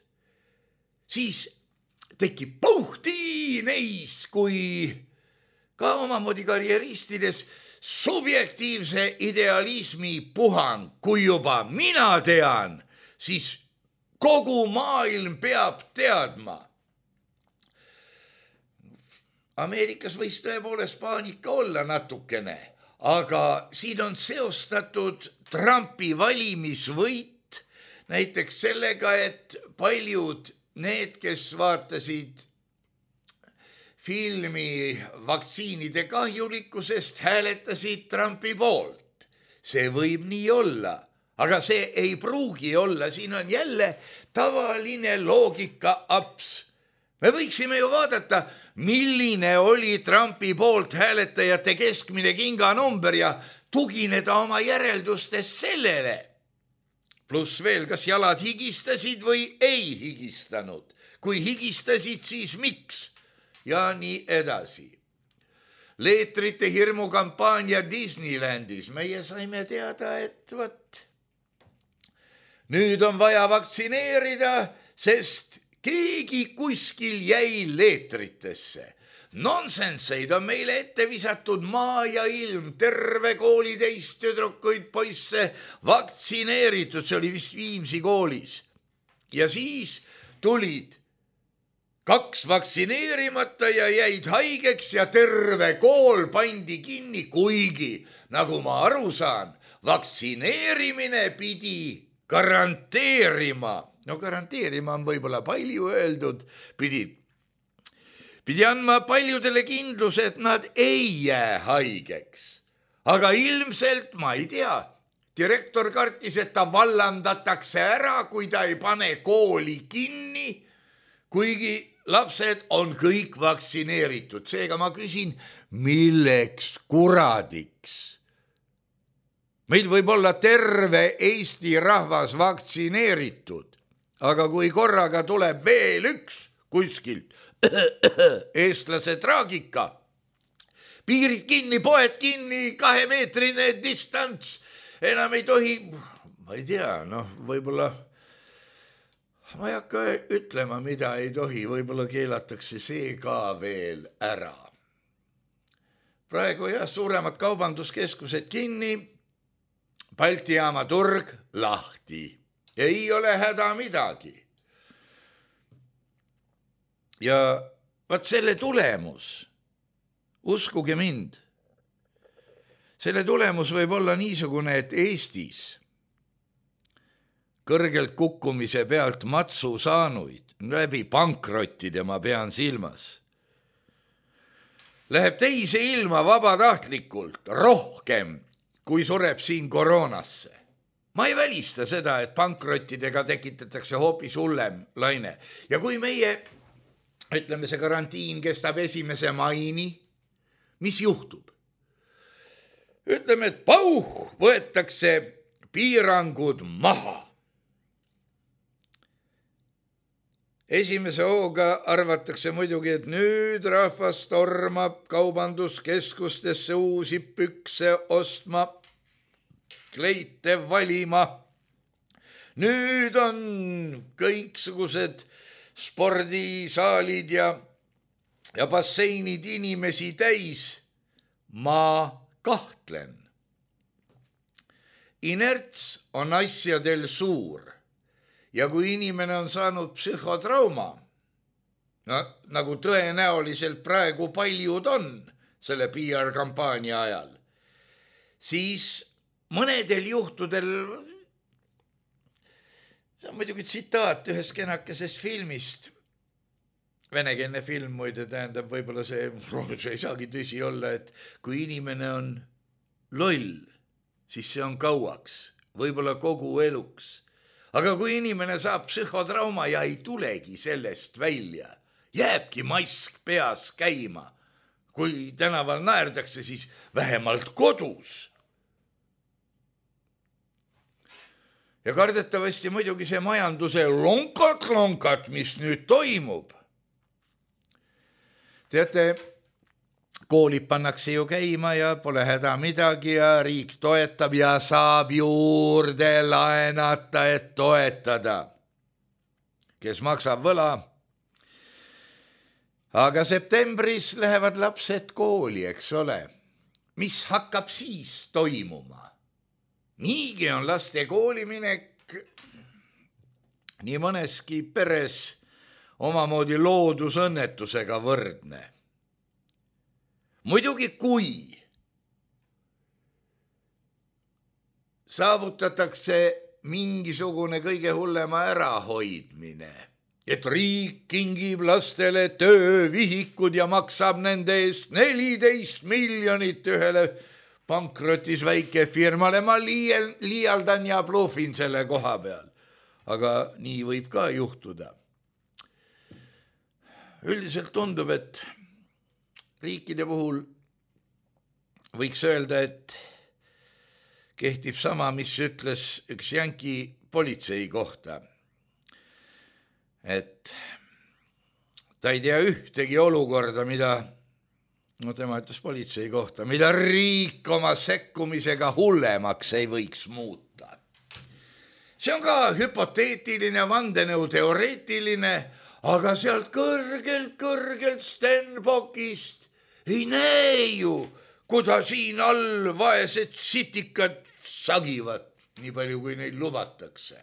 siis tekib puhti neis kui ka omamoodi karjeristides subjektiivse idealismi puhang. Kui juba mina tean, siis kogu maailm peab teadma. Ameerikas võis tõepoolest paanika olla natukene, aga siin on seostatud Trumpi valimisvõit näiteks sellega, et paljud need, kes vaatasid filmi vaktsiinide kahjulikkusest, hääletasid Trumpi poolt. See võib nii olla, aga see ei pruugi olla. Siin on jälle tavaline loogika aps. Me võiksime ju vaadata, milline oli Trumpi poolt hääletajate keskmine kinganumber ja tugineda oma järeldustes sellele. Pluss veel, kas jalad higistasid või ei higistanud. Kui higistasid, siis miks? Ja nii edasi. Leetrite hirmukampaania Disneylandis. Meie saime teada, et võt, nüüd on vaja vaktsineerida, sest keegi kuskil jäi leetritesse. Nonsenseid on meile ette visatud maa ja ilm, terve kooli teist tüdrukuid poisse vaktsineeritud, see oli vist Viimsi koolis. Ja siis tulid kaks vaktsineerimata ja jäid haigeks ja terve kool pandi kinni, kuigi, nagu ma aru saan, vaktsineerimine pidi garanteerima. No garanteerima on võib-olla palju öeldud, pidi, pidi andma paljudele kindluse, et nad ei jää haigeks. Aga ilmselt, ma ei tea, direktor kartis, et ta vallandatakse ära, kui ta ei pane kooli kinni, kuigi lapsed on kõik vaktsineeritud. Seega ma küsin, milleks kuradiks? Meil võib olla terve Eesti rahvas vaktsineeritud, aga kui korraga tuleb veel üks kuskilt eestlase traagika, piirid kinni, poed kinni, kahemeetrine distants, enam ei tohi, ma ei tea, noh, võib-olla, ma ei hakka ütlema, mida ei tohi, võib-olla keelatakse see ka veel ära. Praegu jah, suuremad kaubanduskeskused kinni, Balti jaama turg lahti. Ei ole häda midagi. Ja vaat selle tulemus, uskuge mind, selle tulemus võib olla niisugune, et Eestis kõrgelt kukkumise pealt matsu saanuid, läbi pankrottide ma pean silmas, läheb teise ilma vabatahtlikult rohkem, kui sureb siin koroonasse. Ma ei välista seda, et pankrottidega tekitatakse hoopis hullem laine. Ja kui meie, ütleme, see karantiin kestab esimese maini, mis juhtub? Ütleme, et pauh, võetakse piirangud maha. Esimese hooga arvatakse muidugi, et nüüd rahvas tormab kaubanduskeskustesse uusi pükse ostma, kleite valima. Nüüd on kõiksugused spordisaalid ja, ja basseinid inimesi täis. Ma kahtlen. Inerts on asjadel suur. Ja kui inimene on saanud psühhotrauma, no, nagu tõenäoliselt praegu paljud on selle P R-kampaania ajal, siis mõnedel juhtudel, see on muidugi tsitaat ühest kenakesest filmist, venekeelne film muide tähendab, võib-olla see, see ei saagi tõsi olla, et kui inimene on loll, siis see on kauaks, võib-olla kogu eluks. Aga kui inimene saab psühhotrauma ja ei tulegi sellest välja, jääbki mask peas käima. Kui tänaval naerdakse, siis vähemalt kodus. Ja kardetavasti muidugi see majanduse lonkat-lonkat, mis nüüd toimub. Teate, koolid pannakse ju käima ja pole häda midagi ja riik toetab ja saab juurde laenata, et toetada. Kes maksab võla? Aga septembris lähevad lapsed kooli, eks ole. Mis hakkab siis toimuma? Niigi on laste kooliminek nii mõneski peres omamoodi loodusõnnetusega võrdne. Muidugi kui saavutatakse mingisugune kõige hullema ärahoidmine, et riik kingib lastele töövihikud ja maksab nende eest neliteist miljonit ühele pankrotis väikefirmale, ma liial, liialdan ja bluffin selle koha peal. Aga nii võib ka juhtuda. Üldiselt tundub, et riikide puhul võiks öelda, et kehtib sama, mis ütles üks jänki politsei kohta. Et ta ei tea ühtegi olukorda, mida, no tema ütles politsei kohta, mida riik oma sekkumisega hullemaks ei võiks muuta. See on ka hüpoteetiline, vandenõu teoreetiline, aga sealt kõrgelt, kõrgelt Stenbockist ei näe ju, kuda siin all vaesed sitikad sagivad, nii palju kui neid lubatakse.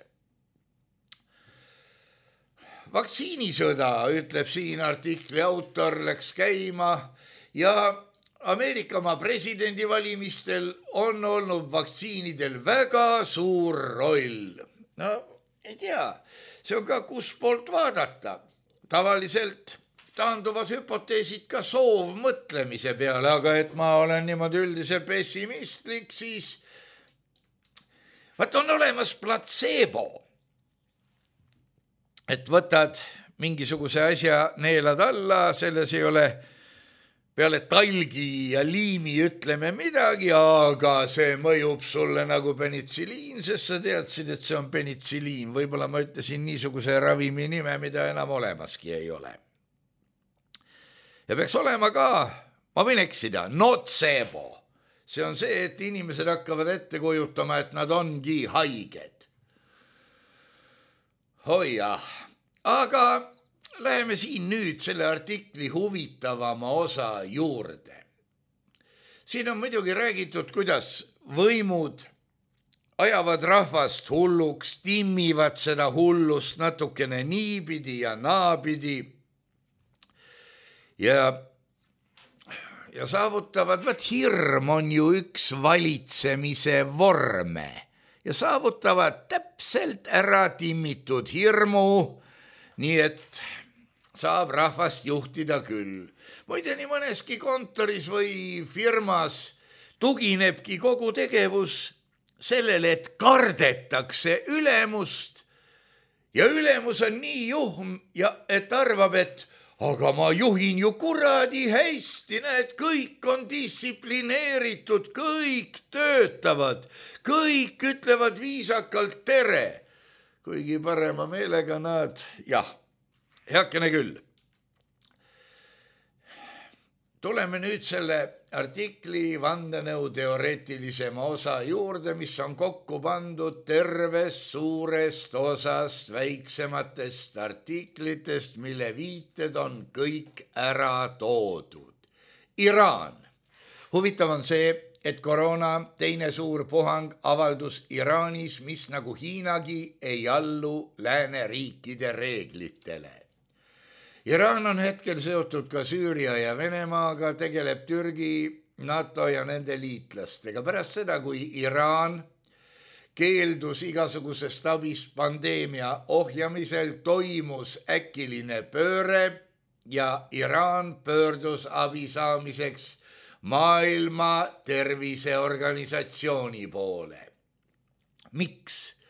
Vaktsiinisõda, ütleb siin artikli autor, läks käima ja Ameerika oma presidendivalimistel on olnud vaktsiinidel väga suur roll. No, ei tea, see on ka kus poolt vaadata. Tavaliselt taanduvad hüpoteesid ka soovmõtlemise peale, aga et ma olen niimoodi üldise pessimistlik, siis vaat on olemas platseebo, et võtad mingisuguse asja, neelad alla, selles ei ole peale talgi ja liimi ütleme midagi, aga see mõjub sulle nagu penitsiliin, sest sa teadsid, et see on penitsiliin. Võib-olla ma ütlesin niisuguse ravimi nime, mida enam olemaski ei ole. Ja peaks olema ka, ma võin eksida, nocebo. See on see, et inimesed hakkavad ette kujutama, et nad ongi haiged. Oi jah, aga läheme siin nüüd selle artikli huvitavama osa juurde. Siin on muidugi räägitud, kuidas võimud ajavad rahvast hulluks, timmivad seda hullust natukene niipidi ja naapidi ja, ja saavutavad, vaat hirm on ju üks valitsemise vorme ja saavutavad täpselt ära timmitud hirmu, nii et saab rahvast juhtida küll. Muide, nii mõneski kontoris või firmas tuginebki kogu tegevus sellele, et kardetakse ülemust ja ülemus on nii juhm, ja et arvab, et aga ma juhin ju kuradi hästi, näed, kõik on distsiplineeritud, kõik töötavad, kõik ütlevad viisakalt tere, kuigi parema meelega nad, jah, heakene küll. Tuleme nüüd selle artikli vandenõu teoreetilisema osa juurde, mis on kokku pandud tervest suurest osast väiksematest artiklitest, mille viited on kõik ära toodud. Iraan. Huvitav on see, et koroona teine suur puhang avaldus Iraanis, mis nagu Hiinagi ei allu lääneriikide reeglitele. Iraan on hetkel seotud ka Süüria ja Venemaaga, tegeleb Türgi, NATO ja nende liitlastega. Pärast seda, kui Iraan keeldus igasugusest abist pandeemia ohjamisel, toimus äkiline pööre ja Iraan pöördus abi saamiseks Maailma Terviseorganisatsiooni poole. Miks?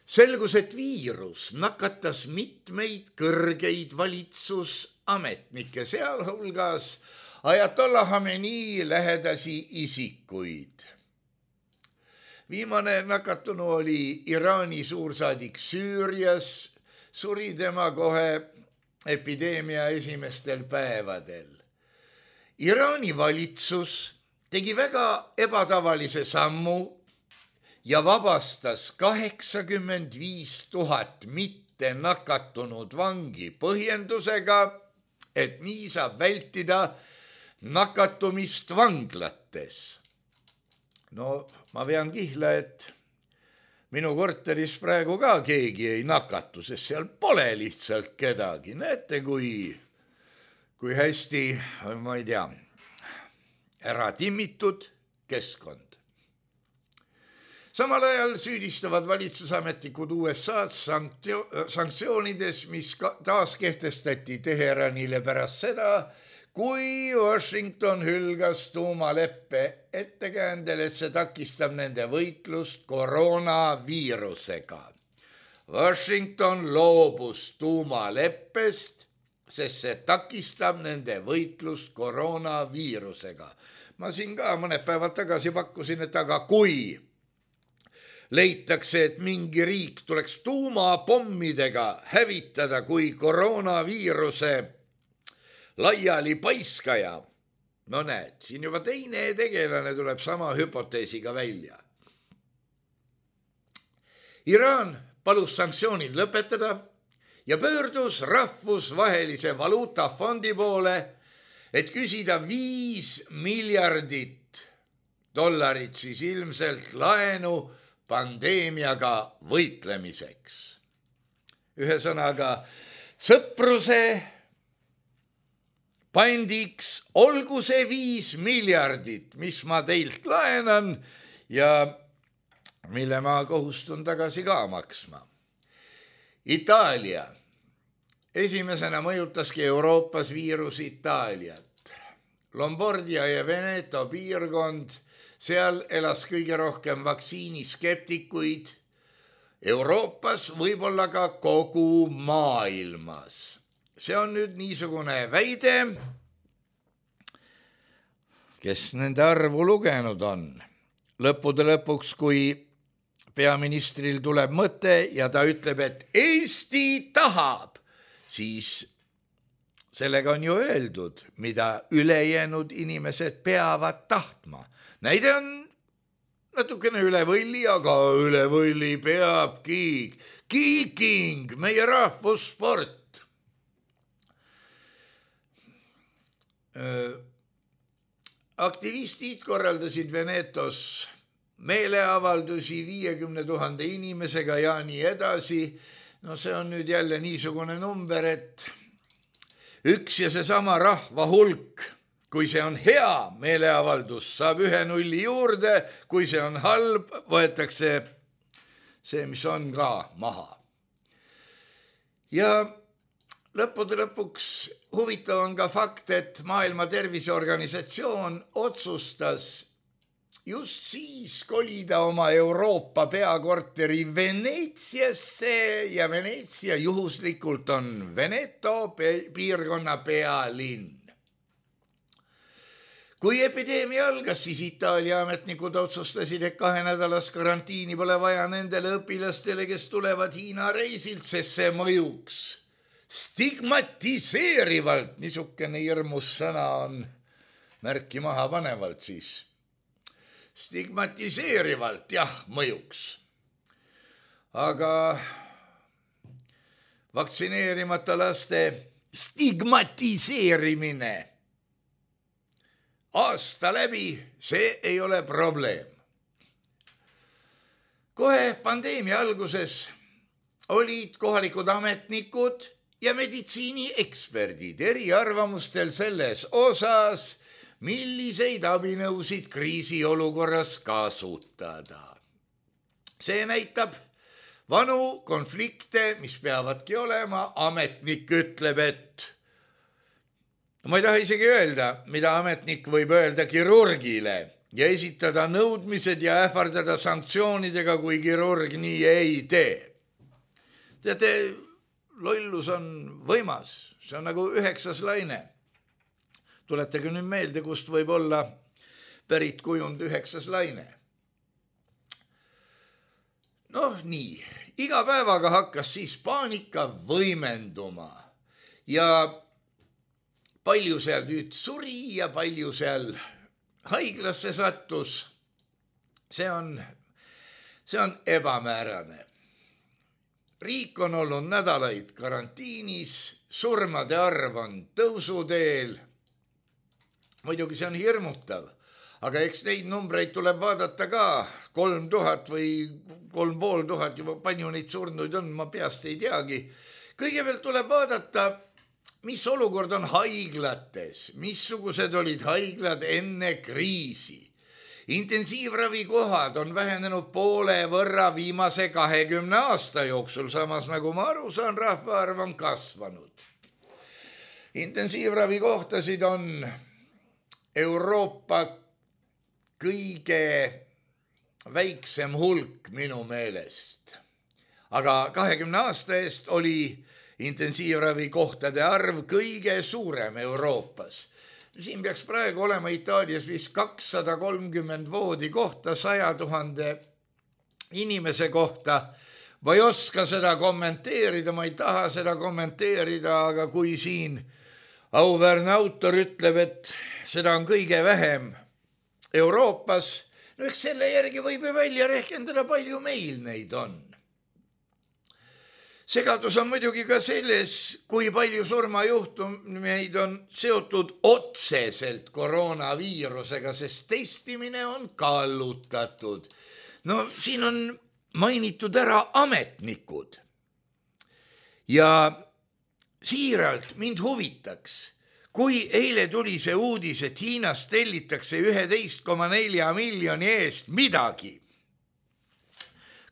Selgus, et viirus nakatas mitmeid kõrgeid valitsusametnikke, sealhulgas Ajatollah Khamenei lähedasi isikuid. Viimane nakatunu oli Iraani suursaadik Süürias, suri tema kohe epideemia esimestel päevadel. Iraani valitsus tegi väga ebatavalise sammu ja vabastas kaheksakümmend viis tuhat mitte nakatunud vangi põhjendusega, et nii saab vältida nakatumist vanglates. No ma vean kihla, et minu korteris praegu ka keegi ei nakatu, sest seal pole lihtsalt kedagi. Näete, kui, kui hästi, ma ei tea, ära timmitud keskkond. Samal ajal süüdistavad valitsusametnikud U S A-d sanktsioonides, mis taas kehtestati Teheranile pärast seda, kui Washington hülgas tuumaleppe ettekäändel, et see takistab nende võitlust koroonaviirusega. Washington loobus tuumaleppest, sest see takistab nende võitlust koroonaviirusega. Ma siin ka mõned päevad tagasi pakkusin, et aga kui leitakse, et mingi riik tuleks tuumapommidega hävitada kui koroonaviiruse laiali paiskaja. No näed, siin juba teine tegelane tuleb sama hüpoteesiga välja. Iraan palus sanktsioonid lõpetada ja pöördus rahvusvahelise valuutafondi poole, et küsida viis miljardit dollarit siis ilmselt laenu pandeemiaga võitlemiseks. Ühesõnaga, sõpruse pandiks olgu see viis miljardit, mis ma teilt laenan ja mille ma kohustun tagasi ka maksma. Itaalia. Esimesena mõjutaski Euroopas viirus Itaaliat. Lombardia ja Veneto piirkond seal elas kõige rohkem vaktsiiniskeptikuid Euroopas, võib-olla ka kogu maailmas. See on nüüd niisugune väide, kes nende arvu lugenud on. Lõppude lõpuks, kui peaministril tuleb mõte ja ta ütleb, et Eesti tahab, siis sellega on ju öeldud, mida ülejäänud inimesed peavad tahtma. Näide on natukene üle võlli, aga üle võlli peab kiik. Kiiking, meie rahvussport. Aktivistid korraldasid Venetos meeleavaldusi viiekümne tuhande inimesega ja nii edasi. No see on nüüd jälle niisugune number, et üks ja seesama rahva hulk, kui see on hea meeleavaldus, saab ühe nulli juurde, kui see on halb, võetakse see, mis on ka maha. Ja lõppude lõpuks huvitav on ka fakt, et Maailma Terviseorganisatsioon otsustas just siis kolida oma Euroopa peakorteri Veneetsiasse ja Veneetsia juhuslikult on Veneto piirkonna pealinn. Kui epideemia algas, siis Itaalia ametnikud otsustasid, et kahe nädalas karantiini pole vaja nendele õpilastele, kes tulevad Hiina reisilt, sest see mõjuks stigmatiseerivalt, niisugune hirmus sõna on märki maha panevalt siis. Stigmatiseerivalt, jah, mõjuks. Aga vaktsineerimata laste stigmatiseerimine aasta läbi, see ei ole probleem. Kohe pandeemia alguses olid kohalikud ametnikud ja meditsiinieksperdid eriarvamustel selles osas, milliseid abinõusid kriisiolukorras kasutada. See näitab vanu konflikte, mis peavadki olema. Ametnik ütleb, et ma ei taha isegi öelda, mida ametnik võib öelda kirurgile ja esitada nõudmised ja ähvardada sanktsioonidega, kui kirurg nii ei tee. Teate, lollus on võimas, see on nagu üheksas laine. Tuletage nüüd meelde, kust võib olla pärit kujund üheksas laine. Noh, nii, iga päevaga hakkas siis paanika võimenduma ja palju seal nüüd suri ja palju seal haiglasse sattus. See on, see on ebamäärane. Riik on olnud nädalaid karantiinis, surmade arv on tõusuteel. Muidugi see on hirmutav, aga eks neid numbreid tuleb vaadata ka. Kolm tuhat või kolm pool tuhat, juba palju neid surnuid on, ma peast ei teagi. Kõigepealt tuleb vaadata, mis olukord on haiglates, missugused olid haiglad enne kriisi. Intensiivravikohad on vähenenud poole võrra viimase kahekümne aasta jooksul, samas nagu ma aru saan, rahvaarv on kasvanud. Intensiivravikohtasid on Euroopa kõige väiksem hulk minu meelest. Aga kahekümne aasta eest oli intensiivravikohtade arv kõige suurem Euroopas. Siin peaks praegu olema Itaalias vist kakssada kolmkümmend voodi kohta saja tuhande inimese kohta. Ma ei oska seda kommenteerida, ma ei taha seda kommenteerida, aga kui siin auväärne autor ütleb, et seda on kõige vähem Euroopas, no eks selle järgi võib välja rehkendada, palju meil neid on. Segadus on muidugi ka selles, kui palju surmajuhtumeid on seotud otseselt koroonaviirusega, sest testimine on kallutatud. No siin on mainitud ära ametnikud. Ja siiralt mind huvitaks, kui eile tuli see uudis, et Hiinas tellitakse üksteist koma neli miljoni eest midagi.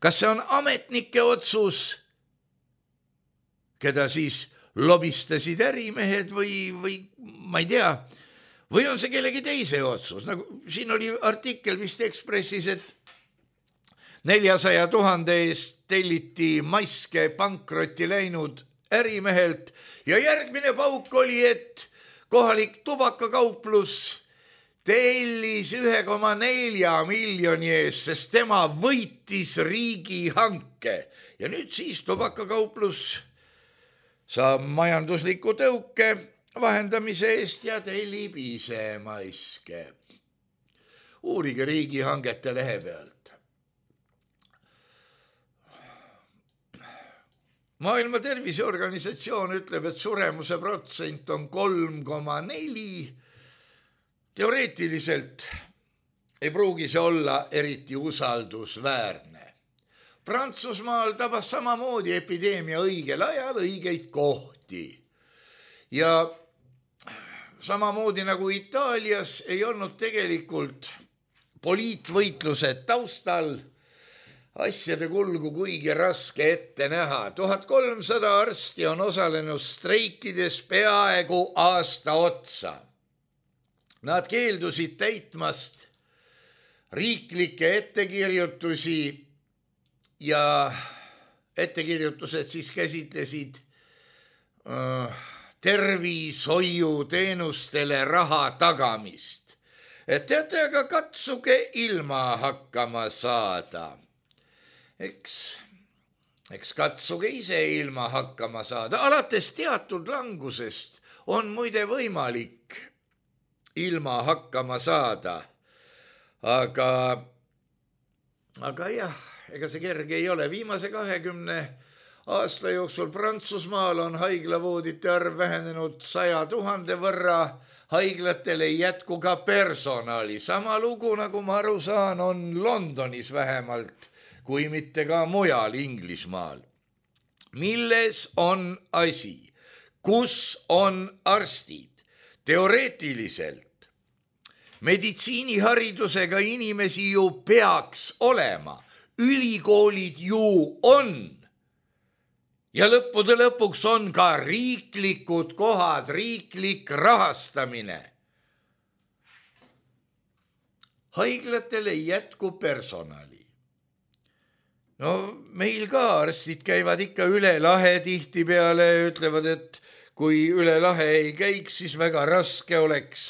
Kas see on ametnike otsus, keda siis lobistasid ärimehed või, või ma ei tea, või on see kellegi teise otsus, nagu siin oli artikkel vist Ekspressis, et neljasaja tuhande eest telliti maske pankrotti läinud ärimehelt ja järgmine pauk oli, et kohalik tubakakauplus tellis ühe koma nelja miljoni eest, sest tema võitis riigihanke ja nüüd siis tubakakauplus saab majandusliku tõuke vahendamise eest ja tellib ise maske. Uurige riigihangete lehe pealt. Maailma Terviseorganisatsioon ütleb, et suremuse protsent on kolm koma neli. Teoreetiliselt ei pruugi see olla eriti usaldusväärne. Prantsusmaal tabas samamoodi epideemia õigel ajal õigeid kohti. Ja samamoodi nagu Itaalias ei olnud tegelikult poliitvõitluse taustal asjade kulgu kuigi raske ette näha. tuhat kolmsada arsti on osalenud streikides peaaegu aasta otsa. Nad keeldusid täitmast riiklikke ettekirjutusi ja ettekirjutused siis käsitlesid äh, tervishoiuteenustele raha tagamist. Et teate, aga katsuge ilma hakkama saada. Eks, eks katsuge ise ilma hakkama saada. Alates teatud langusest on muide võimalik ilma hakkama saada. Aga, aga jah, ega see kerge ei ole. Viimase kahekümne aasta jooksul Prantsusmaal on haiglavoodite arv vähenenud saja tuhande võrra. Haiglatel ei jätku ka personali. Sama lugu, nagu ma aru saan, on Londonis vähemalt, kui mitte ka mujal Inglismaal. Milles on asi? Kus on arstid? Teoreetiliselt meditsiiniharidusega inimesi ju peaks olema. Ülikoolid ju on. Ja lõppude lõpuks on ka riiklikud kohad, riiklik rahastamine. Haiglatel ei jätku personali. No meil ka arstid käivad ikka üle lahe tihti peale, ütlevad, et kui üle lahe ei käiks, siis väga raske oleks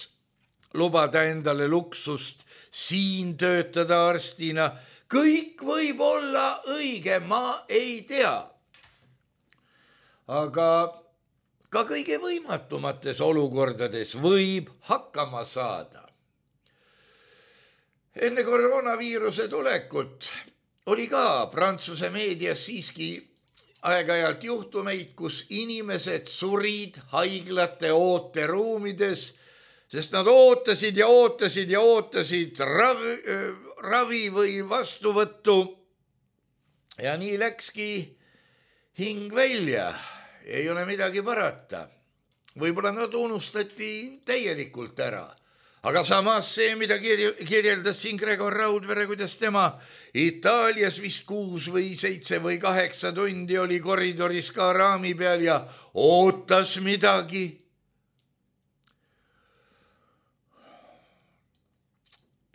lubada endale luksust siin töötada arstina. Kõik võib olla õige, ma ei tea. Aga ka kõige võimatumates olukordades võib hakkama saada. Enne koroonaviiruse tulekut oli ka Prantsuse meedias siiski aeg-ajalt juhtumeid, kus inimesed surid haiglate ooteruumides, sest nad ootasid ja ootasid ja ootasid ravi, ravi või vastuvõttu. Ja nii läkski hing välja. Ei ole midagi parata. Võib-olla nad unustati täielikult ära. Aga samas see, mida kirjeldas siin Gregor Raudvere, kuidas tema Itaalias vist kuus või seitse või kaheksa tundi oli koridoris ka raami peal ja ootas midagi.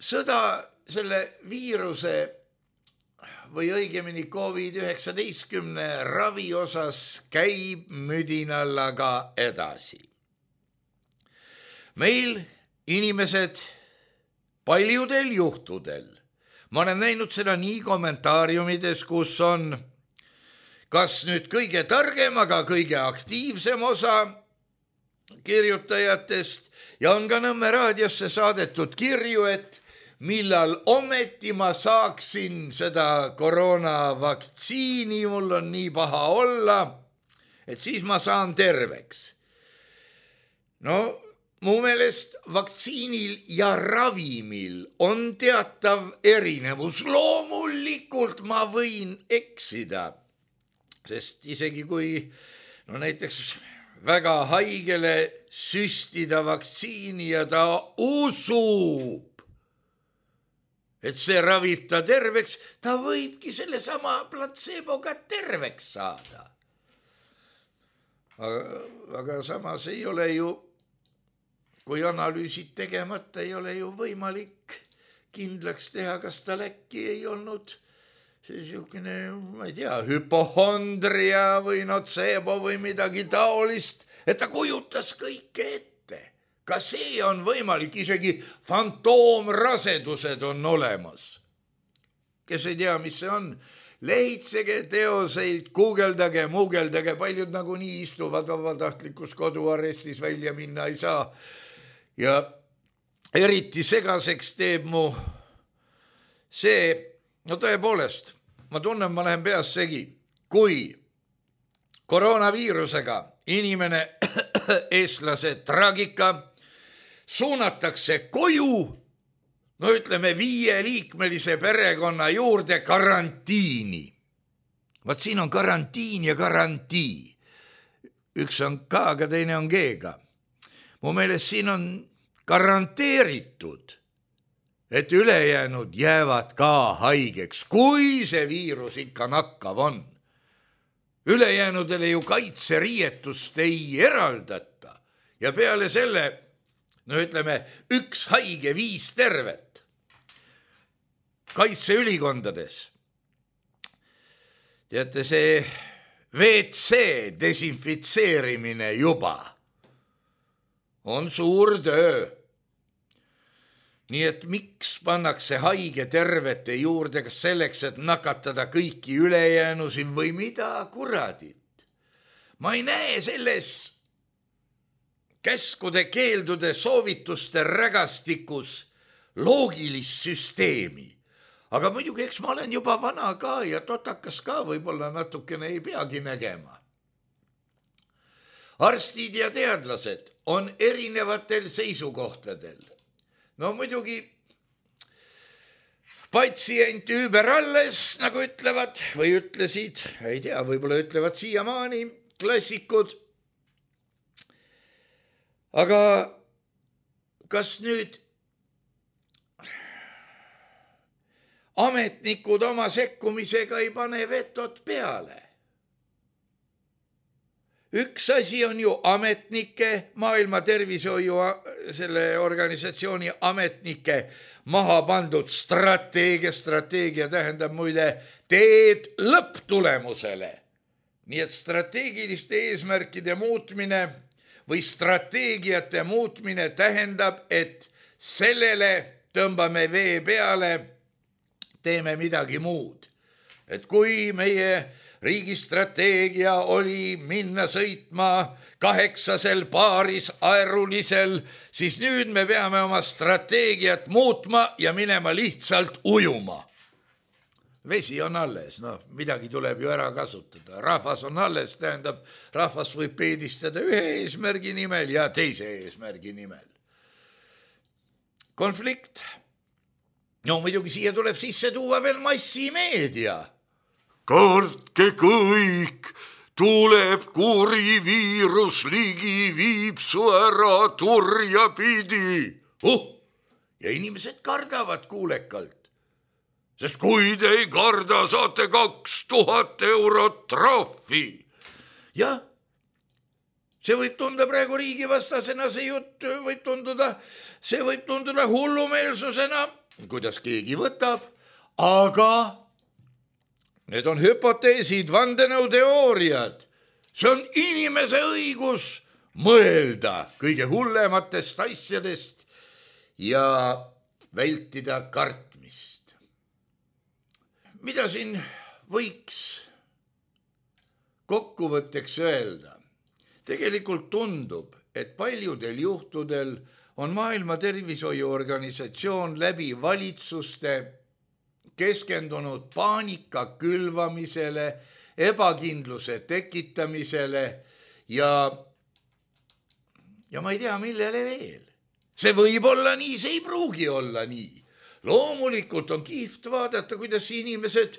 Sõda selle viiruse või õigemini covid üheksateist ravi osas käib müdinallaga edasi. Meil inimesed paljudel juhtudel, ma olen näinud seda nii kommentaariumides, kus on kas nüüd kõige targem, aga kõige aktiivsem osa kirjutajatest ja on ka Nõmme raadiosse saadetud kirju, et millal ometi ma saaksin seda koroonavaktsiini, mul on nii paha olla, et siis ma saan terveks. No, mu meelest vaktsiinil ja ravimil on teatav erinevus. Loomulikult ma võin eksida, sest isegi kui no näiteks väga haigele süstida vaktsiini ja ta usub, et see ravib ta terveks, ta võibki selle sama platseeboga terveks saada. Aga, aga samas ei ole ju kui analüüsid tegemata, ei ole ju võimalik kindlaks teha, kas tal äkki ei olnud siukene, ma ei tea, hüpohondria või notseebo või midagi taolist, et ta kujutas kõike ette. Ka see on võimalik, isegi fantoomrasedused on olemas. Kes ei tea, mis see on? Lehitsege teoseid, guugeldage, muugeldage, paljud nagu nii istuvad vabatahtlikus koduarrestis, välja minna ei saa. Ja eriti segaseks teeb mu see, no tõepoolest, ma tunnen, ma lähen peas segi, kui koroonaviirusega inimene, eestlase traagika, suunatakse koju, no ütleme viieliikmelise perekonna juurde karantiini. Vaat siin on karantiin ja garantii. Üks on K-ga, teine on G-ga. Mu meelest siin on garanteeritud, et ülejäänud jäävad ka haigeks, kui see viirus ikka nakkav on. Ülejäänudele ju kaitseriietust ei eraldata ja peale selle, no ütleme, üks haige, viis tervet kaitseülikondades. Teate, see V C desinfitseerimine juba on suur töö. Nii et miks pannakse haige tervete juurde, kas selleks, et nakatada kõiki ülejäänusi või mida kuradit? Ma ei näe selles käskude, keeldude, soovituste rägastikus loogilist süsteemi. Aga muidugi, eks ma olen juba vana ka ja totakas ka, võib-olla natukene ei peagi nägema. Arstid ja teadlased on erinevatel seisukohtadel. No muidugi patsient üüber alles, nagu ütlevad, või ütlesid, ei tea, võib-olla ütlevad siiamaani klassikud. Aga kas nüüd ametnikud oma sekkumisega ei pane vetot peale? Üks asi on ju ametnike, Maailma Tervishoiu selle organisatsiooni ametnike maha pandud strateegia, strateegia tähendab muide teed lõpptulemusele. Nii et strateegiliste eesmärkide muutmine või strateegiate muutmine tähendab, et sellele tõmbame vee peale, teeme midagi muud. Et kui meie riigi strateegia oli minna sõitma kaheksasel paaris aerulisel, siis nüüd me peame oma strateegiat muutma ja minema lihtsalt ujuma. Vesi on alles, no midagi tuleb ju ära kasutada. Rahvas on alles, tähendab, rahvas võib peedistada ühe eesmärgi nimel ja teise eesmärgi nimel. Konflikt. No muidugi siia tuleb sisse tuua veel massimeedia. Kartke kõik, tuleb kuri viirus ligi, viib su ära turja pidi. Oh, ja inimesed kardavad kuulekalt. Sest kui te ei karda, saate kaks tuhat eurot trahvi. Ja see võib tunda praegu riigivastasena, see jutt võib tunduda, see võib tunduda hullumeelsusena, kuidas keegi võtab, aga need on hüpoteesid, vandenõuteooriad. See on inimese õigus mõelda kõige hullematest asjadest ja vältida kartmist. Mida siin võiks kokkuvõtteks öelda? Tegelikult tundub, et paljudel juhtudel on Maailma Tervishoiuorganisatsioon läbi valitsuste keskendunud paanika külvamisele, ebakindluse tekitamisele ja, ja ma ei tea, millele veel. See võib olla nii, see ei pruugi olla nii. Loomulikult on kihvt vaadata, kuidas inimesed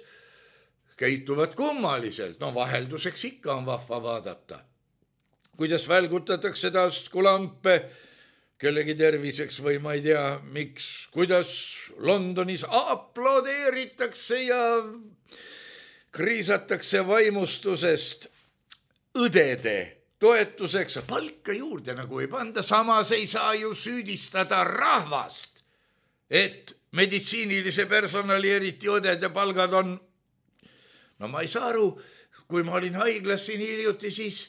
käituvad kummaliselt. No vahelduseks ikka on vahva vaadata. Kuidas välgutatakse taskulampe kellegi terviseks või ma ei tea, miks, kuidas Londonis aplodeeritakse ja kriisatakse vaimustusest õdede toetuseks palka juurde nagu ei panda, samas ei saa ju süüdistada rahvast, et meditsiinilise personali, eriti õdede palgad on, no ma ei saa aru, kui ma olin haiglas siin hiljuti, siis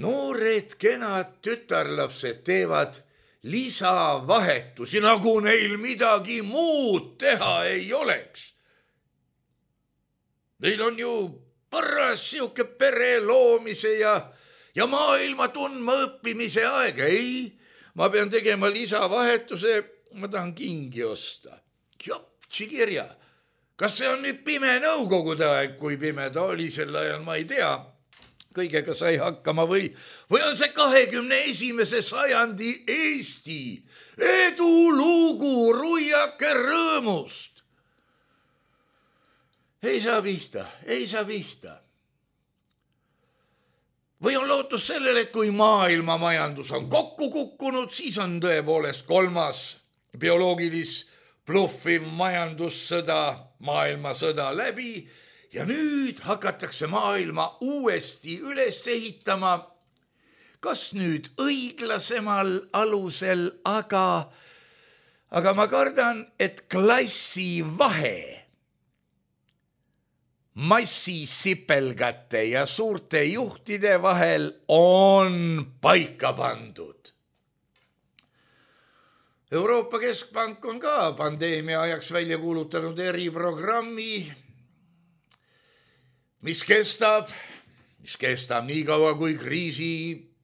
noored kenad tütarlapsed teevad lisavahetusi, nagu neil midagi muud teha ei oleks. Neil on ju paras siuke pere loomise ja, ja maailma tundma õppimise aeg. Ei, ma pean tegema lisavahetuse, ma tahan kingi osta. Jopsi kirja. Kas see on nüüd pime nõukogude aeg, kui pime ta oli sel ajal, ma ei tea. Kõigega sai hakkama või, või on see kahekümne esimese sajandi Eesti edulugu ruiake rõõmust. Ei saa pihta, ei saa pihta. Või on lootus sellele, et kui maailma majandus on kokku kukkunud, siis on tõepoolest kolmas bioloogilis bluffiv majandussõda, maailmasõda läbi ja nüüd hakatakse maailma uuesti üles ehitama, kas nüüd õiglasemal alusel, aga, aga ma kardan, et klassi vahe massisipelgate ja suurte juhtide vahel on paika pandud. Euroopa Keskpank on ka pandeemia ajaks välja kuulutanud eriprogrammi, mis kestab, mis kestab nii kaua, kui kriisi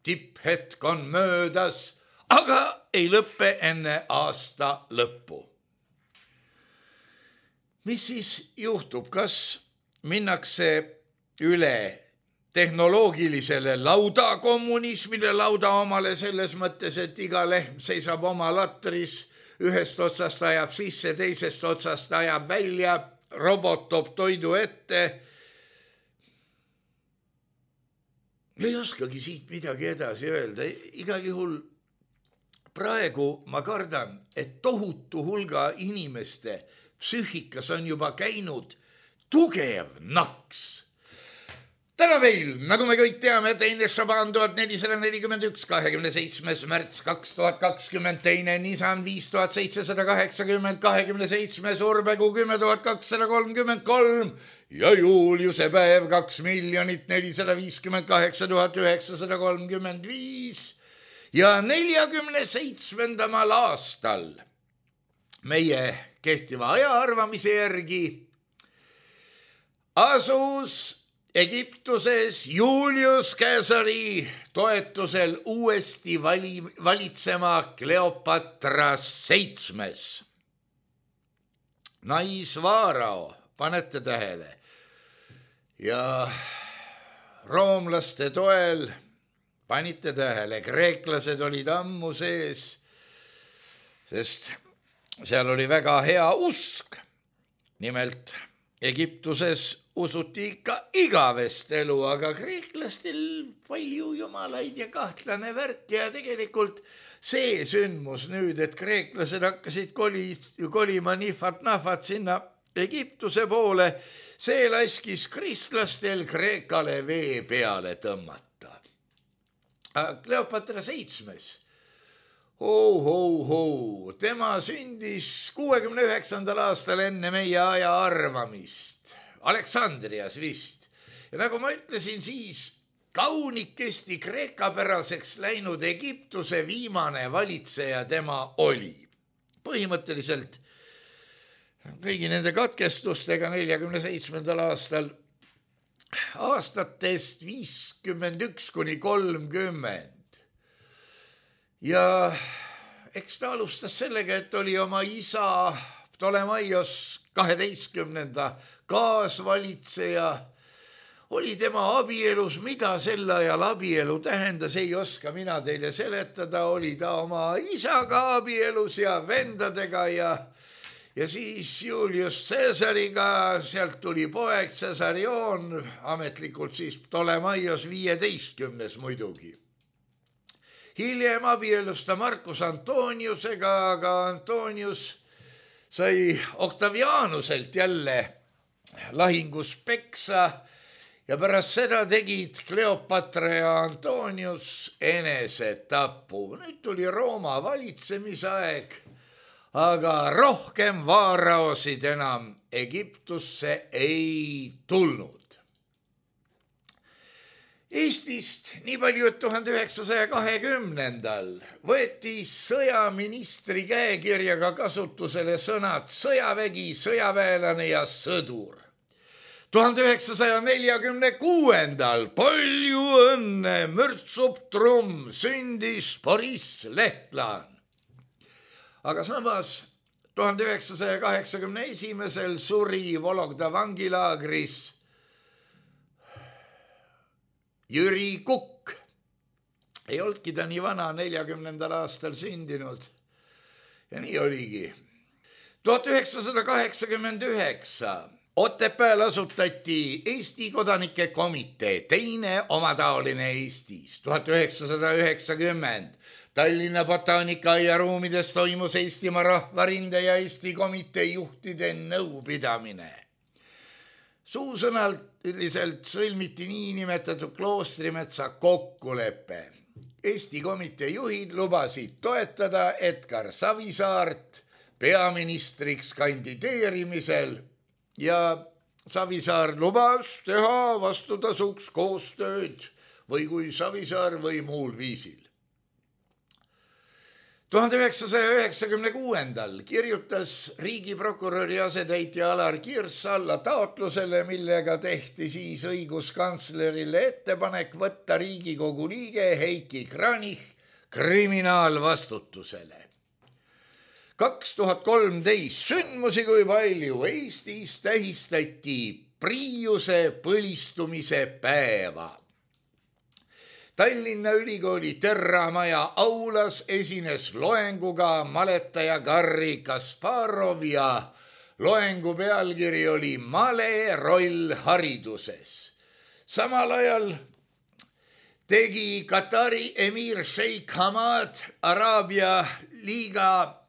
tipphetk on möödas, aga ei lõppe enne aasta lõppu. Mis siis juhtub, kas minnakse üle tehnoloogilisele laudakommunismile, lauda omale selles mõttes, et iga lehm seisab oma latris, ühest otsast ajab sisse, teisest otsast ajab välja, robot toob toidu ette. Ei oskagi siit midagi edasi öelda. Igal juhul praegu ma kardan, et tohutu hulga inimeste psüühikas on juba käinud tugev naks. Täna meil, nagu me kõik teame, teine Šaban tuhat nelisada nelikümmend üks, kahekümne seitsmes märts kaks tuhat kakskümmend, teine Nissan viis tuhat seitsesada kaheksakümmend, kahekümne seitsmes Urbegu kümme tuhat kakssada kolmkümmend kolm ja Juliuse päev kaks miljonit nelisada viiskümmend kaheksa tuhat üheksasada kolmkümmend viis ja neljakümne seitsmendamal aastal meie kehtiva ajaarvamise järgi asus Egiptuses Julius Caesari toetusel uuesti vali, valitsema Kleopatra seitsmes. Naisvaarao, panete tähele. Ja roomlaste toel, panite tähele, kreeklased olid ammu sees, sest seal oli väga hea usk. Nimelt Egiptuses usuti ikka igavest elu, aga kreeklastel palju jumalaid ja kahtlane värk ja tegelikult see sündmus nüüd, et kreeklased hakkasid koli, kolima nifat-nafat sinna Egiptuse poole, see laskis kristlastel Kreekale vee peale tõmmata. Kleopatra seitsmes, oh, oh, oh, tema sündis kuuekümne üheksandal aastal enne meie aja arvamist. Aleksandrias vist. Ja nagu ma ütlesin, siis kaunikesti kreekapäraseks läinud Egiptuse viimane valitseja tema oli. Põhimõtteliselt kõigi nende katkestustega neljakümne seitsmendal aastal aastatest viiskümmend üks kuni kolmkümmend. Ja eks ta alustas sellega, et oli oma isa Ptolemaios kaheteistkümnenda kaasvalitseja, oli tema abielus, mida sel ajal abielu tähendas, ei oska mina teile seletada, oli ta oma isaga abielus ja vendadega ja, ja siis Julius Caesariga, sealt tuli poeg Caesarion, ametlikult siis Ptolemaios viieteistkümnes muidugi. Hiljem abielus ta Marcus Antoniusega, aga Antonius sai Octavianuselt jälle lahingus peksa ja pärast seda tegid Kleopatra ja Antonius enesetapu. Nüüd tuli Rooma valitsemisaeg, aga rohkem vaaraosid enam Egiptusse ei tulnud. Eestist nii palju, et tuhande üheksasaja kahekümnendal võeti sõjaministri käekirjaga kasutusele sõnad sõjavägi, sõjaväelane ja sõdur. tuhande üheksasaja neljakümne kuuendal palju õnne, mürtsub trumm, sündis Boris Lehtlaan. Aga samas tuhande üheksasaja kaheksakümne esimesel suri Vologda vangilaagris Jüri Kukk. Ei olnudki ta nii vana, neljakümnendal aastal sündinud. Ja nii oligi. tuhat üheksasada kaheksakümmend üheksa Otepääl asutati Eesti kodanike komitee, teine omataoline Eestis. tuhat üheksasada üheksakümmend Tallinna botaanikaaia ruumides toimus Eestimaa rahvarinde ja Eesti komitee juhtide nõupidamine. Suusõnalt üldiselt sõlmiti niinimetatud Kloostrimetsa kokkulepe. Eesti komitee juhid lubasid toetada Edgar Savisaart peaministriks kandideerimisel ja Savisaar lubas teha vastutasuks koostööd või kui Savisaar või muul viisil. tuhande üheksasaja üheksakümne kuuendal kirjutas riigiprokuröri asetäitja Alar Kirss alla taotlusele, millega tehti siis õiguskantslerile ettepanek võtta Riigikogu liige Heiki Kranich kriminaalvastutusele. kaks tuhat kolmteist sündmusi kui palju. Eestis tähistati Priiuse põlistumise päeva. Tallinna Ülikooli Terramaja aulas esines loenguga maletaja Garri Kasparov ja loengu pealkiri oli Male roll hariduses. Samal ajal tegi Katari emir Sheikh Hamad Araabia liiga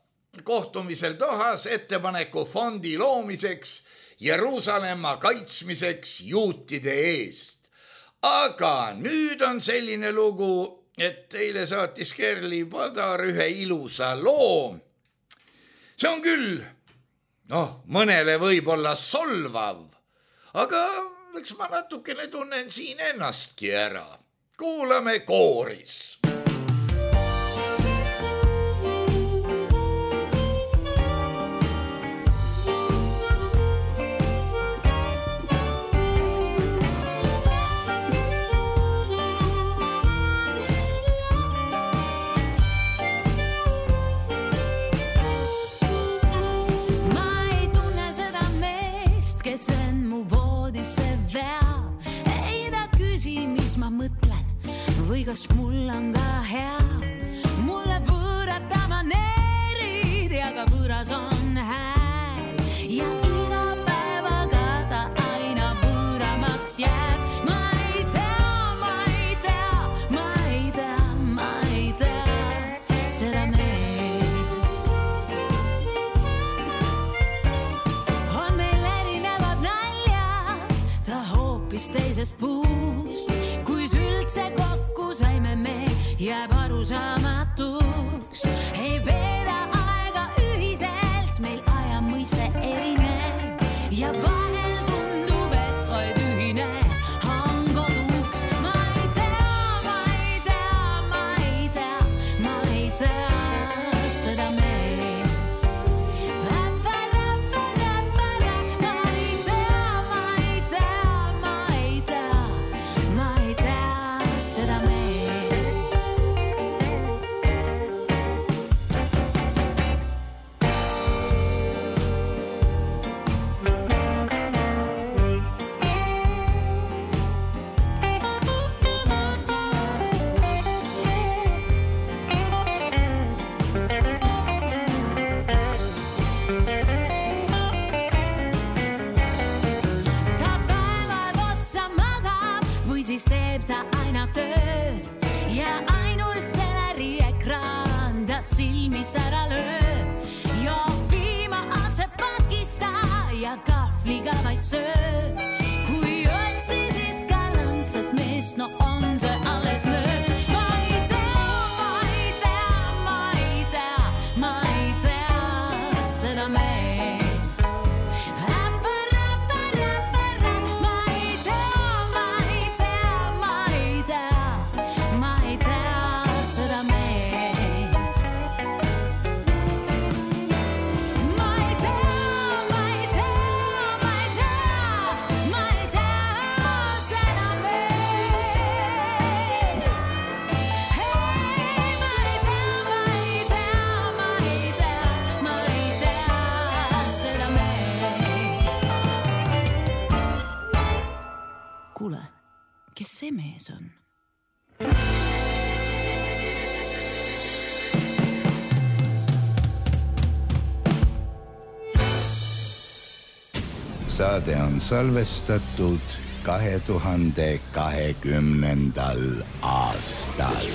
kohtumisel Dohas ettepaneku fondi loomiseks Jeruusalemma kaitsmiseks juutide eest. Aga nüüd on selline lugu, et teile saatis Kerli Padar ühe ilusa loo. See on küll, noh, mõnele võib olla solvav, aga eks ma natukene tunnen siin ennastki ära. Kuulame kooris. Kes on mu voodisse veab, ei ta küsi, mis ma mõtlen või kas mul on ka hea. Mulle võõrad ta maneerid ja ka võõras on hääl ja iga päevaga ta aina võõramaks jääb. Ma ei tea, ma ei tea, ma ei tea, ma ei tea seda meest. On meil erinevad naljad, ta hoopis teisest puust. Kuis üldse kokku saime me, jääb arusaamatuks. Ei veeda aega ühiselt, meil aja mõiste erinev ja vahel tundub, et vaid ühine on koduks. Ma ei tea, ma ei tea, ma ei tea, ma ei tea seda meest. Ma ei tea, ma ei tea, ma ei tea, ma ei tea seda meest. Ta päevad otsa magab või siis teeb ta aina tööd ja ainult teleri ekraan ta silmis ära lööb. Ja piima atsepakista ja kahvliga vaid sööb. Kui otsisid ka kes see mees on? Saade on salvestatud kahe tuhande kahekümnendal aastal.